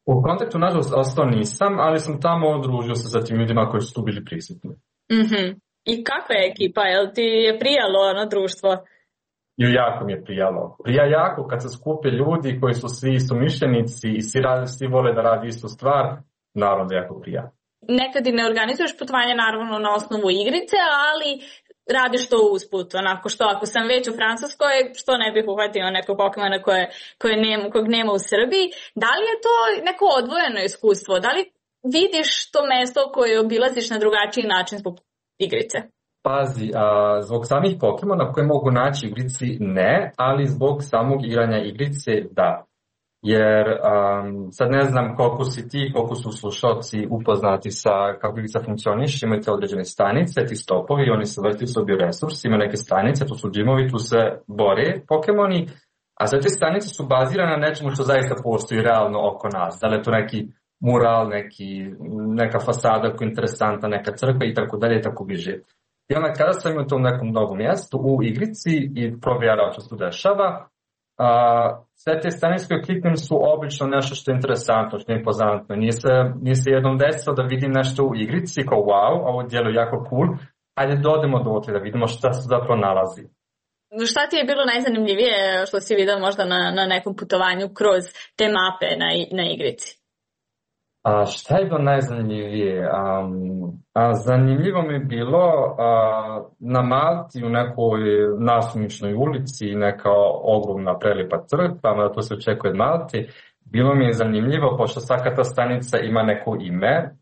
U kontaktu, nažalost, ostao nisam, ali sam tamo odružio se sa tim ljudima koji su tu bili prisutni. Mm-hmm. I kakva je ekipa? Jel ti je prijalo ono društvo? I jako mi je prijalo. Prija jako kad se skupe ljudi koji su svi istomišljenici i svi, radi, svi vole da radi istu stvar, naravno da jako prija. nekad i ne organizuješ putovanje naravno na osnovu igrice, ali radiš to usput, onako što ako sam već u Francuskoj, što ne bih uhvatio nekog Pokemona koje, koje nema, kojeg nema u Srbiji. Da li je to neko odvojeno iskustvo? Da li vidiš to mesto koje obilaziš na drugačiji način zbog igrice? Pazi, a, zbog samih Pokemona koje mogu naći u igrici ne, ali zbog samog igranja igrice da. Jer um, sad ne znam koliko si ti, koliko su slušalci upoznati sa kako igrica funkcioniše, imate određene stanice, ti stopovi, oni se vrti su bioresursi, ima neke stanice, tu su džimovi, tu se bore Pokemoni, a sve te stanice su bazirane na nečemu što zaista postoji realno oko nas. Da li je to neki mural, neki, neka fasada koja je interesantna, neka crkva i tako dalje i tako bliže. I onda kada sam u tom nekom novom mjestu u igrici i provjerao što se tu dešava, a, sve te stanice koje kliknem su obično nešto što je interesantno, što je impozantno. Nije se, nije se jednom desilo da vidim nešto u igrici kao wow, ovo djeluje jako cool, ajde dodemo dotle da vidimo šta se zapravo nalazi. Šta ti je bilo najzanimljivije što si vidio možda na, na nekom putovanju kroz te mape na, na igrici? A šta je bilo najzanimljivije? Um, a, zanimljivo mi je bilo a, na Malti u nekoj nasumičnoj ulici, neka ogromna prelijepa crkva, mada to se očekuje od Malti. Bilo mi je zanimljivo, pošto svaka ta stanica ima neko ime,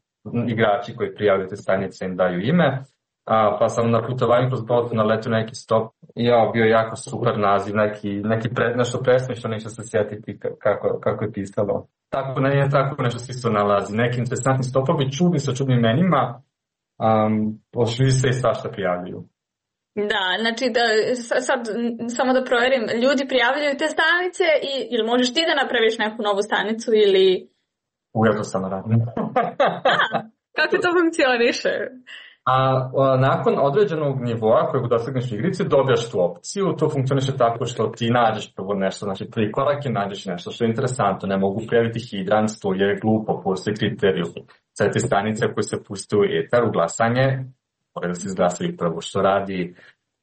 igrači koji prijavljaju te stanice im daju ime, a, pa sam na putovanju kroz Baltu naletio na neki stop i ja, bio jako super naziv, neki, neki pre, nešto presmišno, neću se sjetiti kako, kako je pisalo. Tako ne je tako nešto svi se nalazi. Neki interesantni stopovi, čudni sa čudnim imenima, um, pošli se i svašta prijavljuju. Da, znači da, sad samo da provjerim, ljudi prijavljuju te stanice i ili možeš ti da napraviš neku novu stanicu ili... U, ja to samo radim. A, kako to funkcioniše? A, a nakon određenog nivoa kojeg dosegneš u igrici dobijaš tu opciju. To funkcioniše tako što ti nađeš prvo nešto, znači prvi korak je nađeš nešto što je interesantno. Ne mogu prijaviti hidrant, to je glupo, postoji kriteriju. Sve te stanice koje se puste u etar, u glasanje, mora da se izglasaju prvo što radi.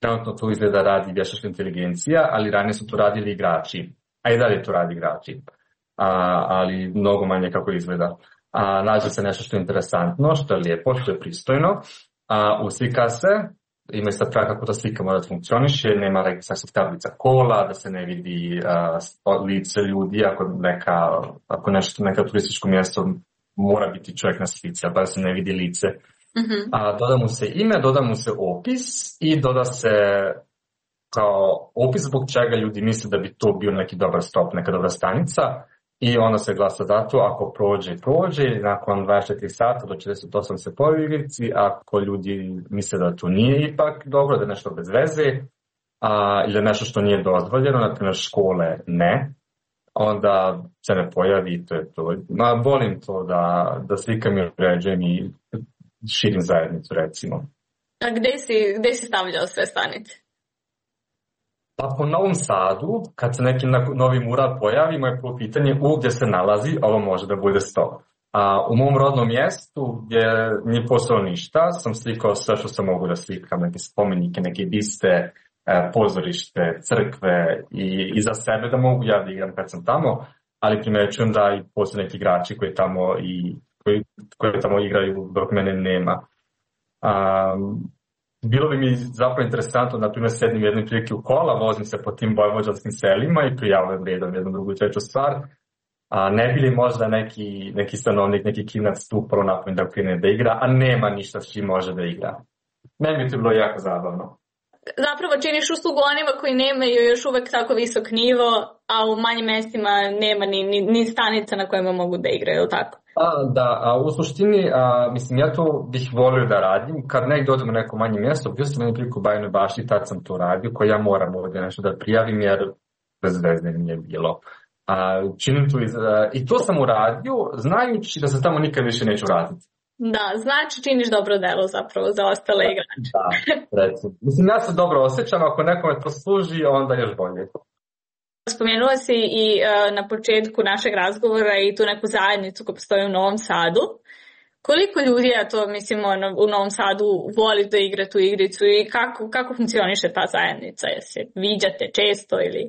Trenutno to izgleda radi vještačka inteligencija, ali ranije su to radili igrači. A i dalje to radi igrači. A, ali mnogo manje kako izgleda. A, nađe se nešto što je interesantno, što je lijepo, što je pristojno. A, uslika se, ima i sad kako ta slika mora da funkcioniše, nema registracijskih tablica kola, da se ne vidi a, lice ljudi, ako, neka, ako nešto, neka turističko mjesto mora biti čovjek na slici, a pa da se ne vidi lice. Mm-hmm. A, doda mu se ime, doda mu se opis i doda se kao opis zbog čega ljudi misle da bi to bio neki dobar stop, neka dobra stanica. I onda se glasa za to, ako prođe, prođe, nakon dvadeset četiri sata do četrdeset osam se pojavi u igrici, ako ljudi misle da to nije ipak dobro, da je nešto bez veze, a, ili nešto što nije dozvoljeno, na primjer škole ne, onda se ne pojavi i to je to. Ma, volim to da, da slikam i uređujem i širim zajednicu, recimo. A gde si, gde si stavljao sve stanice? Pa po Novom Sadu, kad se neki novi mural pojavi, moje prvo pitanje u gdje se nalazi, ovo može da bude sto. A u mom rodnom mjestu, gdje nije postalo ništa, sam slikao sve što sam mogu da slikam, neke spomenike, neke biste, pozorište, crkve i, i za sebe da mogu ja da igram kad sam tamo, ali primećujem da i postoje neki igrači koji tamo, i, koji, koji tamo igraju dok mene nema. Um, Bilo bi mi zapravo interesantno, na primjer, sednim jednom prilike u kola, vozim se po tim vojvođanskim selima i prijavljam redom jednu drugu treću stvar. A ne bi li možda neki, neki stanovnik, neki klinac tu prvo napravim da krene da igra, a nema ništa s čim može da igra. Meni bi to bilo jako zabavno. Zapravo činiš uslugu onima koji nemaju još uvek tako visok nivo, a u manjim mestima nema ni, ni, ni stanica na kojima mogu da igraju, ili tako? A, da, a u suštini, a, mislim, ja to bih volio da radim. Kad negdje odem u neko manje mjesto, bio sam jednu priliku u Bajinoj Bašti, tad sam to radio, koji ja moram ovdje nešto da prijavim, jer bez veze nije bilo. A, činim to iz, a, i to sam uradio, znajući da se tamo nikad više neću vratiti. Da, znači činiš dobro delo zapravo za ostale igrače. Da, recimo. Mislim, ja se dobro osjećam, ako nekome to služi, onda još bolje. Spomenula si i uh, na početku našeg razgovora i tu neku zajednicu koja postoji u Novom Sadu. Koliko ljudi, ja to mislim, ono, u Novom Sadu voli da igra tu igricu i kako, kako funkcioniše ta zajednica? Jesi viđate često ili...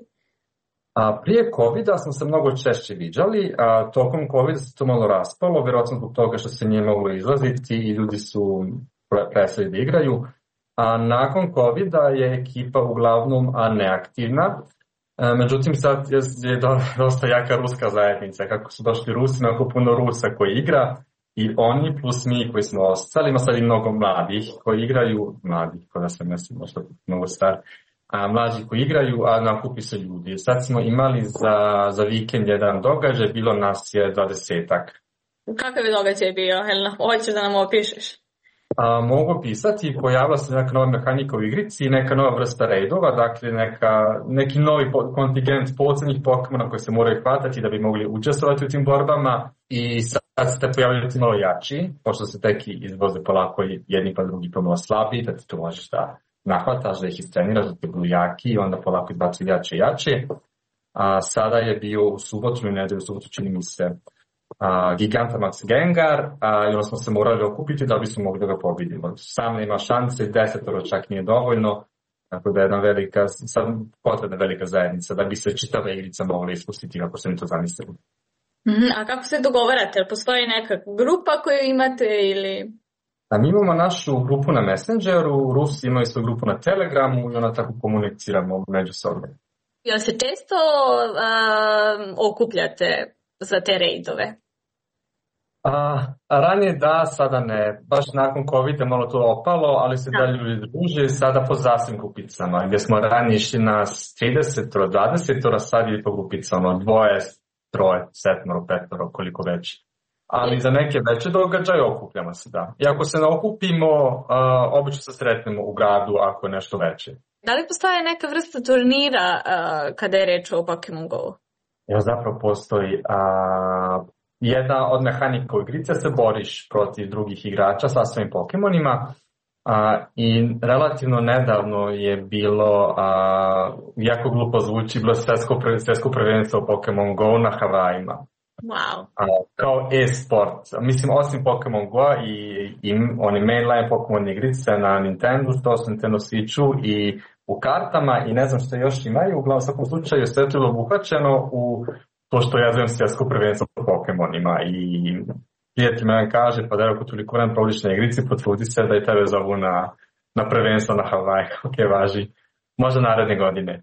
A prije covida smo se mnogo češće viđali, a tokom covida se to malo raspalo, vjerojatno zbog toga što se nije moglo izlaziti i ljudi su prestali da igraju. A nakon covida je ekipa uglavnom neaktivna, e, međutim sad je, je dosta jaka ruska zajednica, kako su došli Rusi, jako puno Rusa koji igra i oni plus mi koji smo ostali, ima sad i mnogo mladih koji igraju, mladih, kada sam mislim možda mnogo star, a mlađi koji igraju, a nakupi se ljudi. Sad smo imali za, za vikend jedan događaj, bilo nas je dvadesetak. Kakav je događaj bio, Helena? Hoćeš da nam opišeš? A, mogu pisati, pojavila se neka nova mehanika u igrici, neka nova vrsta raidova, dakle neka, neki novi kontingent posebnih Pokemona koji se moraju hvatati da bi mogli učestvovati u tim borbama i sad ste pojavili ti malo jači, pošto se teki izvoze polako jedni pa drugi pomalo slabi, da ti to možeš da nahvataš, da ih istreniraš, da ti budu jaki i onda polako izbacuju jače i jače. A sada je bio u subotu i nedelju, u subotu čini mi se Uh, Gigantamax Gengar uh, i onda smo se morali okupiti da bismo mogli da ga pobedimo. Sam nema šanse, desetoro čak nije dovoljno, tako da je jedna velika, sad potrebna velika zajednica da bi se čitava igrica mogla ispustiti kako se mi to zamislili. Mm-hmm. A kako se dogovarate? Postoji neka grupa koju imate ili... A mi imamo našu grupu na Messengeru, Rusi imaju svoju grupu na Telegramu i onda tako komuniciramo međusobno. Jel se često uh, okupljate za te rejdove? A, a ranije da, sada ne. Baš nakon covida malo to opalo, ali se da ljudi druže sada po zasvim grupicama. Gdje smo ranije išli na trideset, dvadeset, sad je po grupicama. Dvoje, troje, setmoro, petoro, koliko već. Ali za neke veće događaje okupljamo se, da. I ako se ne okupimo, a, obično se sretnemo u gradu ako je nešto veće. Da li postoje neka vrsta turnira a, kada je reč o Pokemon Go? Evo zapravo postoji a, jedna od mehanika u igrice, se boriš protiv drugih igrača sa svojim Pokemonima a, i relativno nedavno je bilo, a, jako glupo zvuči, bilo svjetsko, svjetsko prvenstvo Pokemon Go na Havajima. Wow. A, kao e-sport. Mislim, osim Pokemon Go i, i oni mainline Pokemon igrice na Nintendo, to su Nintendo Switchu i u kartama i ne znam što još imaju, uglavnom u svakom slučaju sve to je obuhvaćeno u to što ja zovem svjetsko prvenstvo po Pokemonima i prijatelj me kaže, pa da ako toliko vremena provodiš na igrici, potrudi se da i tebe zovu na, na prvenstvo na Havaj, ok, važi, možda naredne godine.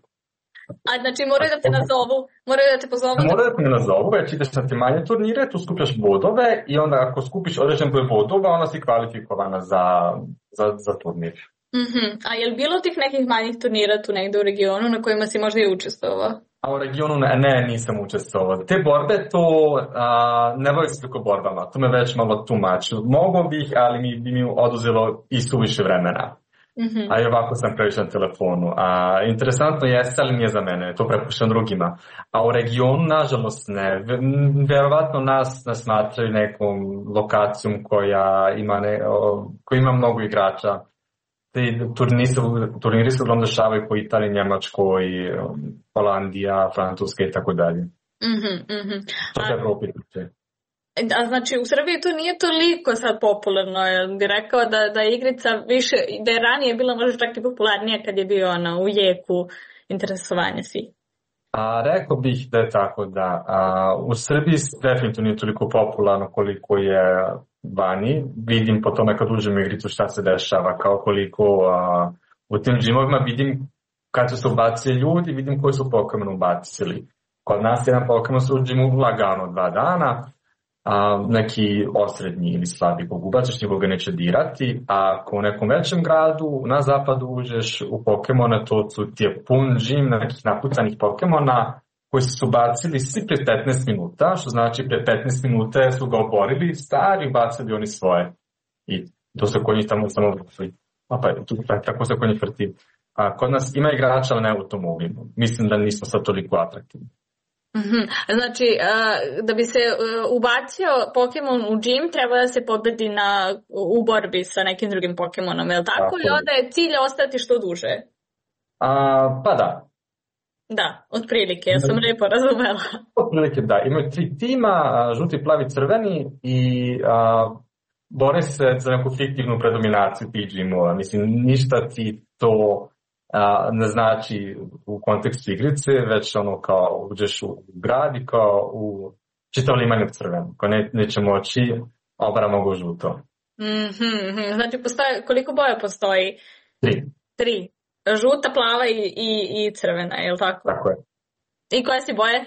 A znači moraju da te nazovu, moraju da te pozovu? Moraju da te ne nazovu, već ideš na te manje turnire, tu skupljaš bodove i onda ako skupiš određen broj bodova, onda si kvalifikovana za, za, za turnir. Mm-hmm. A je li bilo tih nekih manjih turnira tu negde u regionu na kojima si možda i učestvovao? A u regionu ne, ne nisam učestvovao. Te borbe to a, ne bavim se toliko borbama, to me već malo tumači. Mogu bih, ali mi bi mi oduzelo i suviše vremena. Mm-hmm. A i ovako sam previše na telefonu. A, interesantno jeste, ali nije za mene, to prepuštam drugima. A u regionu, nažalost, ne. Verovatno nas, nas smatraju nekom lokacijom koja ima, ne, o, koja ima mnogo igrača. Te turniri se uglavnom dešavaju po Italiji, Njemačkoj, Holandija, Francuska i tako dalje. Mm-hmm, mm-hmm. To je Evropi. A znači u Srbiji to nije toliko sad popularno, jer bi rekao da, da je igrica više, da je ranije bila možda čak i popularnija kad je bio ona u jeku interesovanja svi. A rekao bih da je tako, da. A, u Srbiji definitivno nije toliko popularno koliko je vani. Vidim po tome kad uđem u igricu šta se dešava, kao koliko a, u tim džimovima vidim kad su se ubacili ljudi, vidim koji su Pokemon ubacili. Kod nas jedan Pokemon se u džimu lagano dva dana, a, neki osrednji ili slabi kog ubaciš, nikoga neće dirati, a ako u nekom većem gradu na zapadu uđeš u Pokemona, to su ti je pun džim nekih napucanih Pokemona koji su bacili svi pre petnaest minuta, što znači pre petnaest minuta su ga oborili, stari bacili oni svoje. I to se kod njih tamo samo vrti. A pa, tu, tako se kod njih vrti. A kod nas ima igrača, ali ne u tom mobilu. Mislim da nismo sad toliko atraktivni. Mm-hmm. Znači, uh, da bi se uh, ubacio Pokemon u džim, treba da se pobedi na, u borbi sa nekim drugim Pokemonom, je li tako? I onda je cilj ostati što duže? A, pa da. Da, otprilike, ja sam lijepo razumela. Otprilike, da. Imaju tri tima, žuti, plavi, crveni i a, bore se za neku fiktivnu predominaciju tih džimova. Mislim, ništa ti to a, ne znači u kontekstu igrice, već ono kao uđeš u grad i kao u čitav liman je crven, ko ne, neće moći, obara mogu žuto. Mm-hmm. Znači, postoje, koliko boja postoji? Tri. Tri. Žuta, plava i, i, i crvena, je li tako? Tako je. I koje si boje?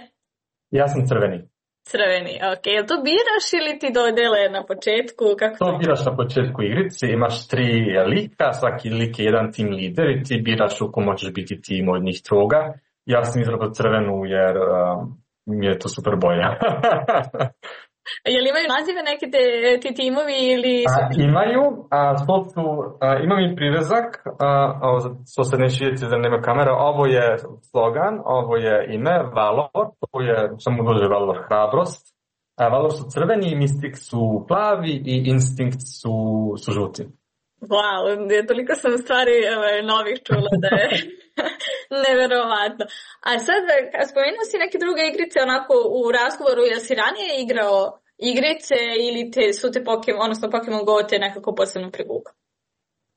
Ja sam crveni. Crveni, ok. Jel to biraš ili ti dodele na početku? Kako to biraš na početku igrice, imaš tri lika, svaki lik je jedan tim lider i ti biraš u ko možeš biti tim od njih troga. Ja sam izabrao crvenu jer uh, mi je to super boja. Jel imaju nazive neke te, ti timovi ili... A, imaju, a, to su, a, imam i privezak, a, ovo, to se neće vidjeti da nema kamera, ovo je slogan, ovo je ime, Valor, to je, samo dođe Valor, hrabrost, a, Valor su crveni, Mystic su plavi i Instinct su, su žuti. Wow, toliko sam stvari ovaj, novih čula da je neverovatno. A sad, spomenuo si neke druge igrice onako u razgovoru, jel si ranije igrao igrice ili te, su te Pokemon, odnosno Pokemon Go te nekako posebno privukao?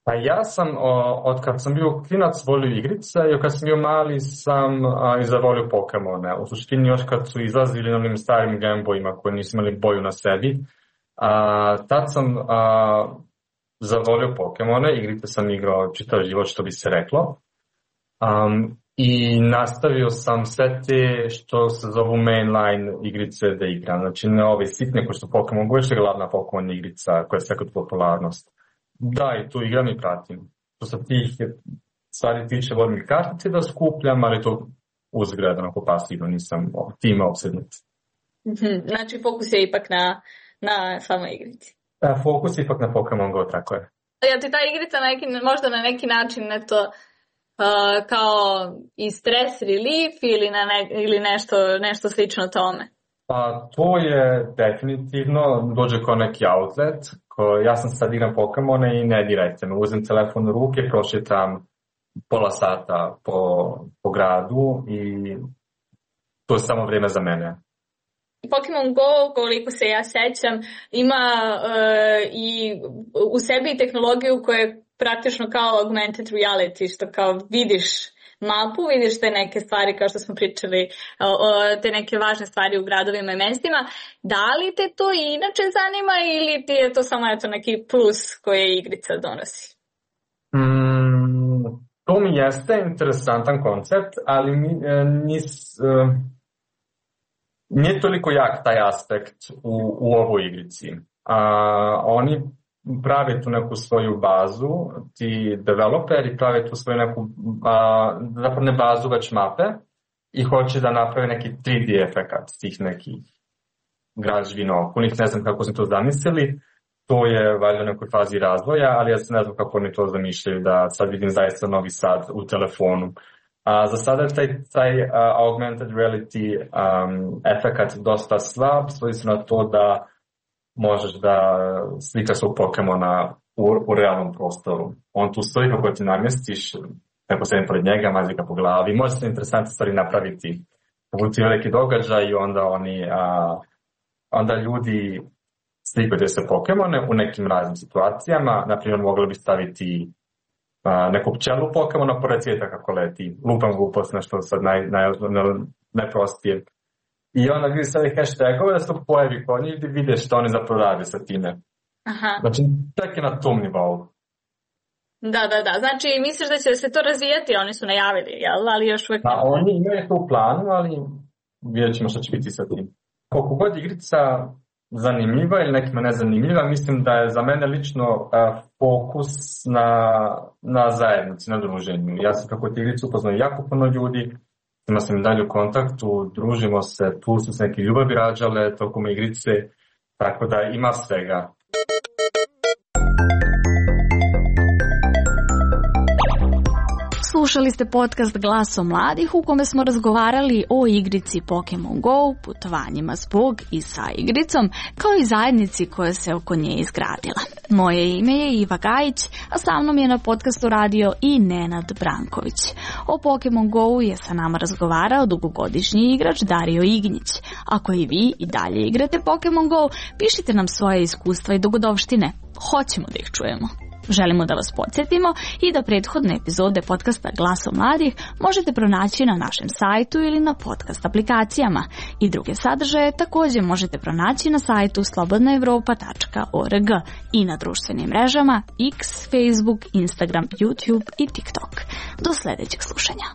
Pa ja sam, o, od kad sam bio klinac, volio igrice i kad sam bio mali sam a, i zavolio Pokemone. U suštini još kad su izlazili na onim starim Gameboyima koji nisu imali boju na sebi, a, tad sam a, zavolio Pokemone, igrice sam igrao čitav život što bi se reklo. Um, I nastavio sam sve te što se zovu mainline igrice da igram. Znači ne ove sitne koje su Pokemon Go, je glavna Pokemon igrica koja je sekund popularnost. Da, i tu igram i pratim. Što se tih stvari tiče, volim i kartice da skupljam, ali to uzgled, onako pasivno, nisam time opsednut. Znači fokus je ipak na, na samoj igrici. Da, fokus je ipak na Pokemon Go, tako je. Ja ti ta igrica na neki, možda na neki način eto, uh, kao i stress relief ili, na ne, ili nešto, nešto slično tome? Pa to je definitivno, dođe kao neki outlet. Ko, ja sam sad igram Pokemone i ne dirajte me. Uzem telefon u ruke, prošetam pola sata po, po gradu i to je samo vrijeme za mene. Pokemon Go, koliko se ja sećam, ima uh, i u sebi tehnologiju koja je praktično kao augmented reality, što kao vidiš mapu, vidiš te neke stvari kao što smo pričali, uh, te neke važne stvari u gradovima i mestima. Da li te to inače zanima ili ti je to samo eto neki plus koje igrica donosi? Mm, to mi jeste interesantan koncept, ali mi eh, nis... Eh... Nije toliko jak taj aspekt u, u ovoj igrici. A, oni prave tu neku svoju bazu, ti developeri prave tu svoju neku, a, zapravo ne bazu, već mape i hoće da naprave neki tri D efekat tih nekih građevina okolnih. Ne znam kako su to zamislili, to je valjda u nekoj fazi razvoja, ali ja se ne znam kako oni to zamišljaju da sad vidim zaista Novi Sad u telefonu. A za sada je taj, taj uh, augmented reality um, efekat dosta slab, svodi se na to da možeš da slikaš svog Pokemona u, u realnom prostoru. On tu stoji kako ti namjestiš, neko sedim pored njega, mazi ga po glavi. Može se interesantne stvari napraviti. Budu ti veliki događaj i onda oni, uh, onda ljudi slikaju se Pokemone u nekim raznim situacijama. Naprimjer, mogli bi staviti Uh, neku pčelu Pokemona pored svijeta kako leti. Lupam glupost, nešto sad naj, naj, najprostije. I onda vidi sve hashtagove da se to pojavi kod njih i vide što oni zapravo rade sa time. Aha. Znači, tek je na tom nivou. Da, da, da. Znači, misliš da će se to razvijati? Oni su najavili, jel? Ali još uvijek... Pa, oni imaju to u planu, ali vidjet ćemo što će biti sa tim. Koliko god igrica zanimljiva ili nekima nezanimljiva, mislim da je za mene lično uh, fokus na, na zajednici, na druženju. Ja sam kako ti igricu upoznao jako puno ljudi, ima sam dalje u kontaktu, družimo se, tu su se neke ljubavi rađale tokom igrice, tako da ima svega. Slušali ste podcast Glaso mladih u kome smo razgovarali o igrici Pokemon Go, putovanjima zbog i sa igricom, kao i zajednici koja se oko nje izgradila. Moje ime je Iva Gajić, a sa mnom je na podcastu radio i Nenad Branković. O Pokemon Go je sa nama razgovarao dugogodišnji igrač Dario Ignjić. Ako i vi i dalje igrate Pokemon Go, pišite nam svoje iskustva i dogodovštine. Hoćemo da ih čujemo. Želimo da vas podsjetimo i da prethodne epizode podcasta Glasom mladih možete pronaći na našem sajtu ili na podcast aplikacijama. I druge sadržaje također možete pronaći na sajtu slobodna evropa tačka org i na društvenim mrežama X, Facebook, Instagram, YouTube i TikTok. Do sljedećeg slušanja.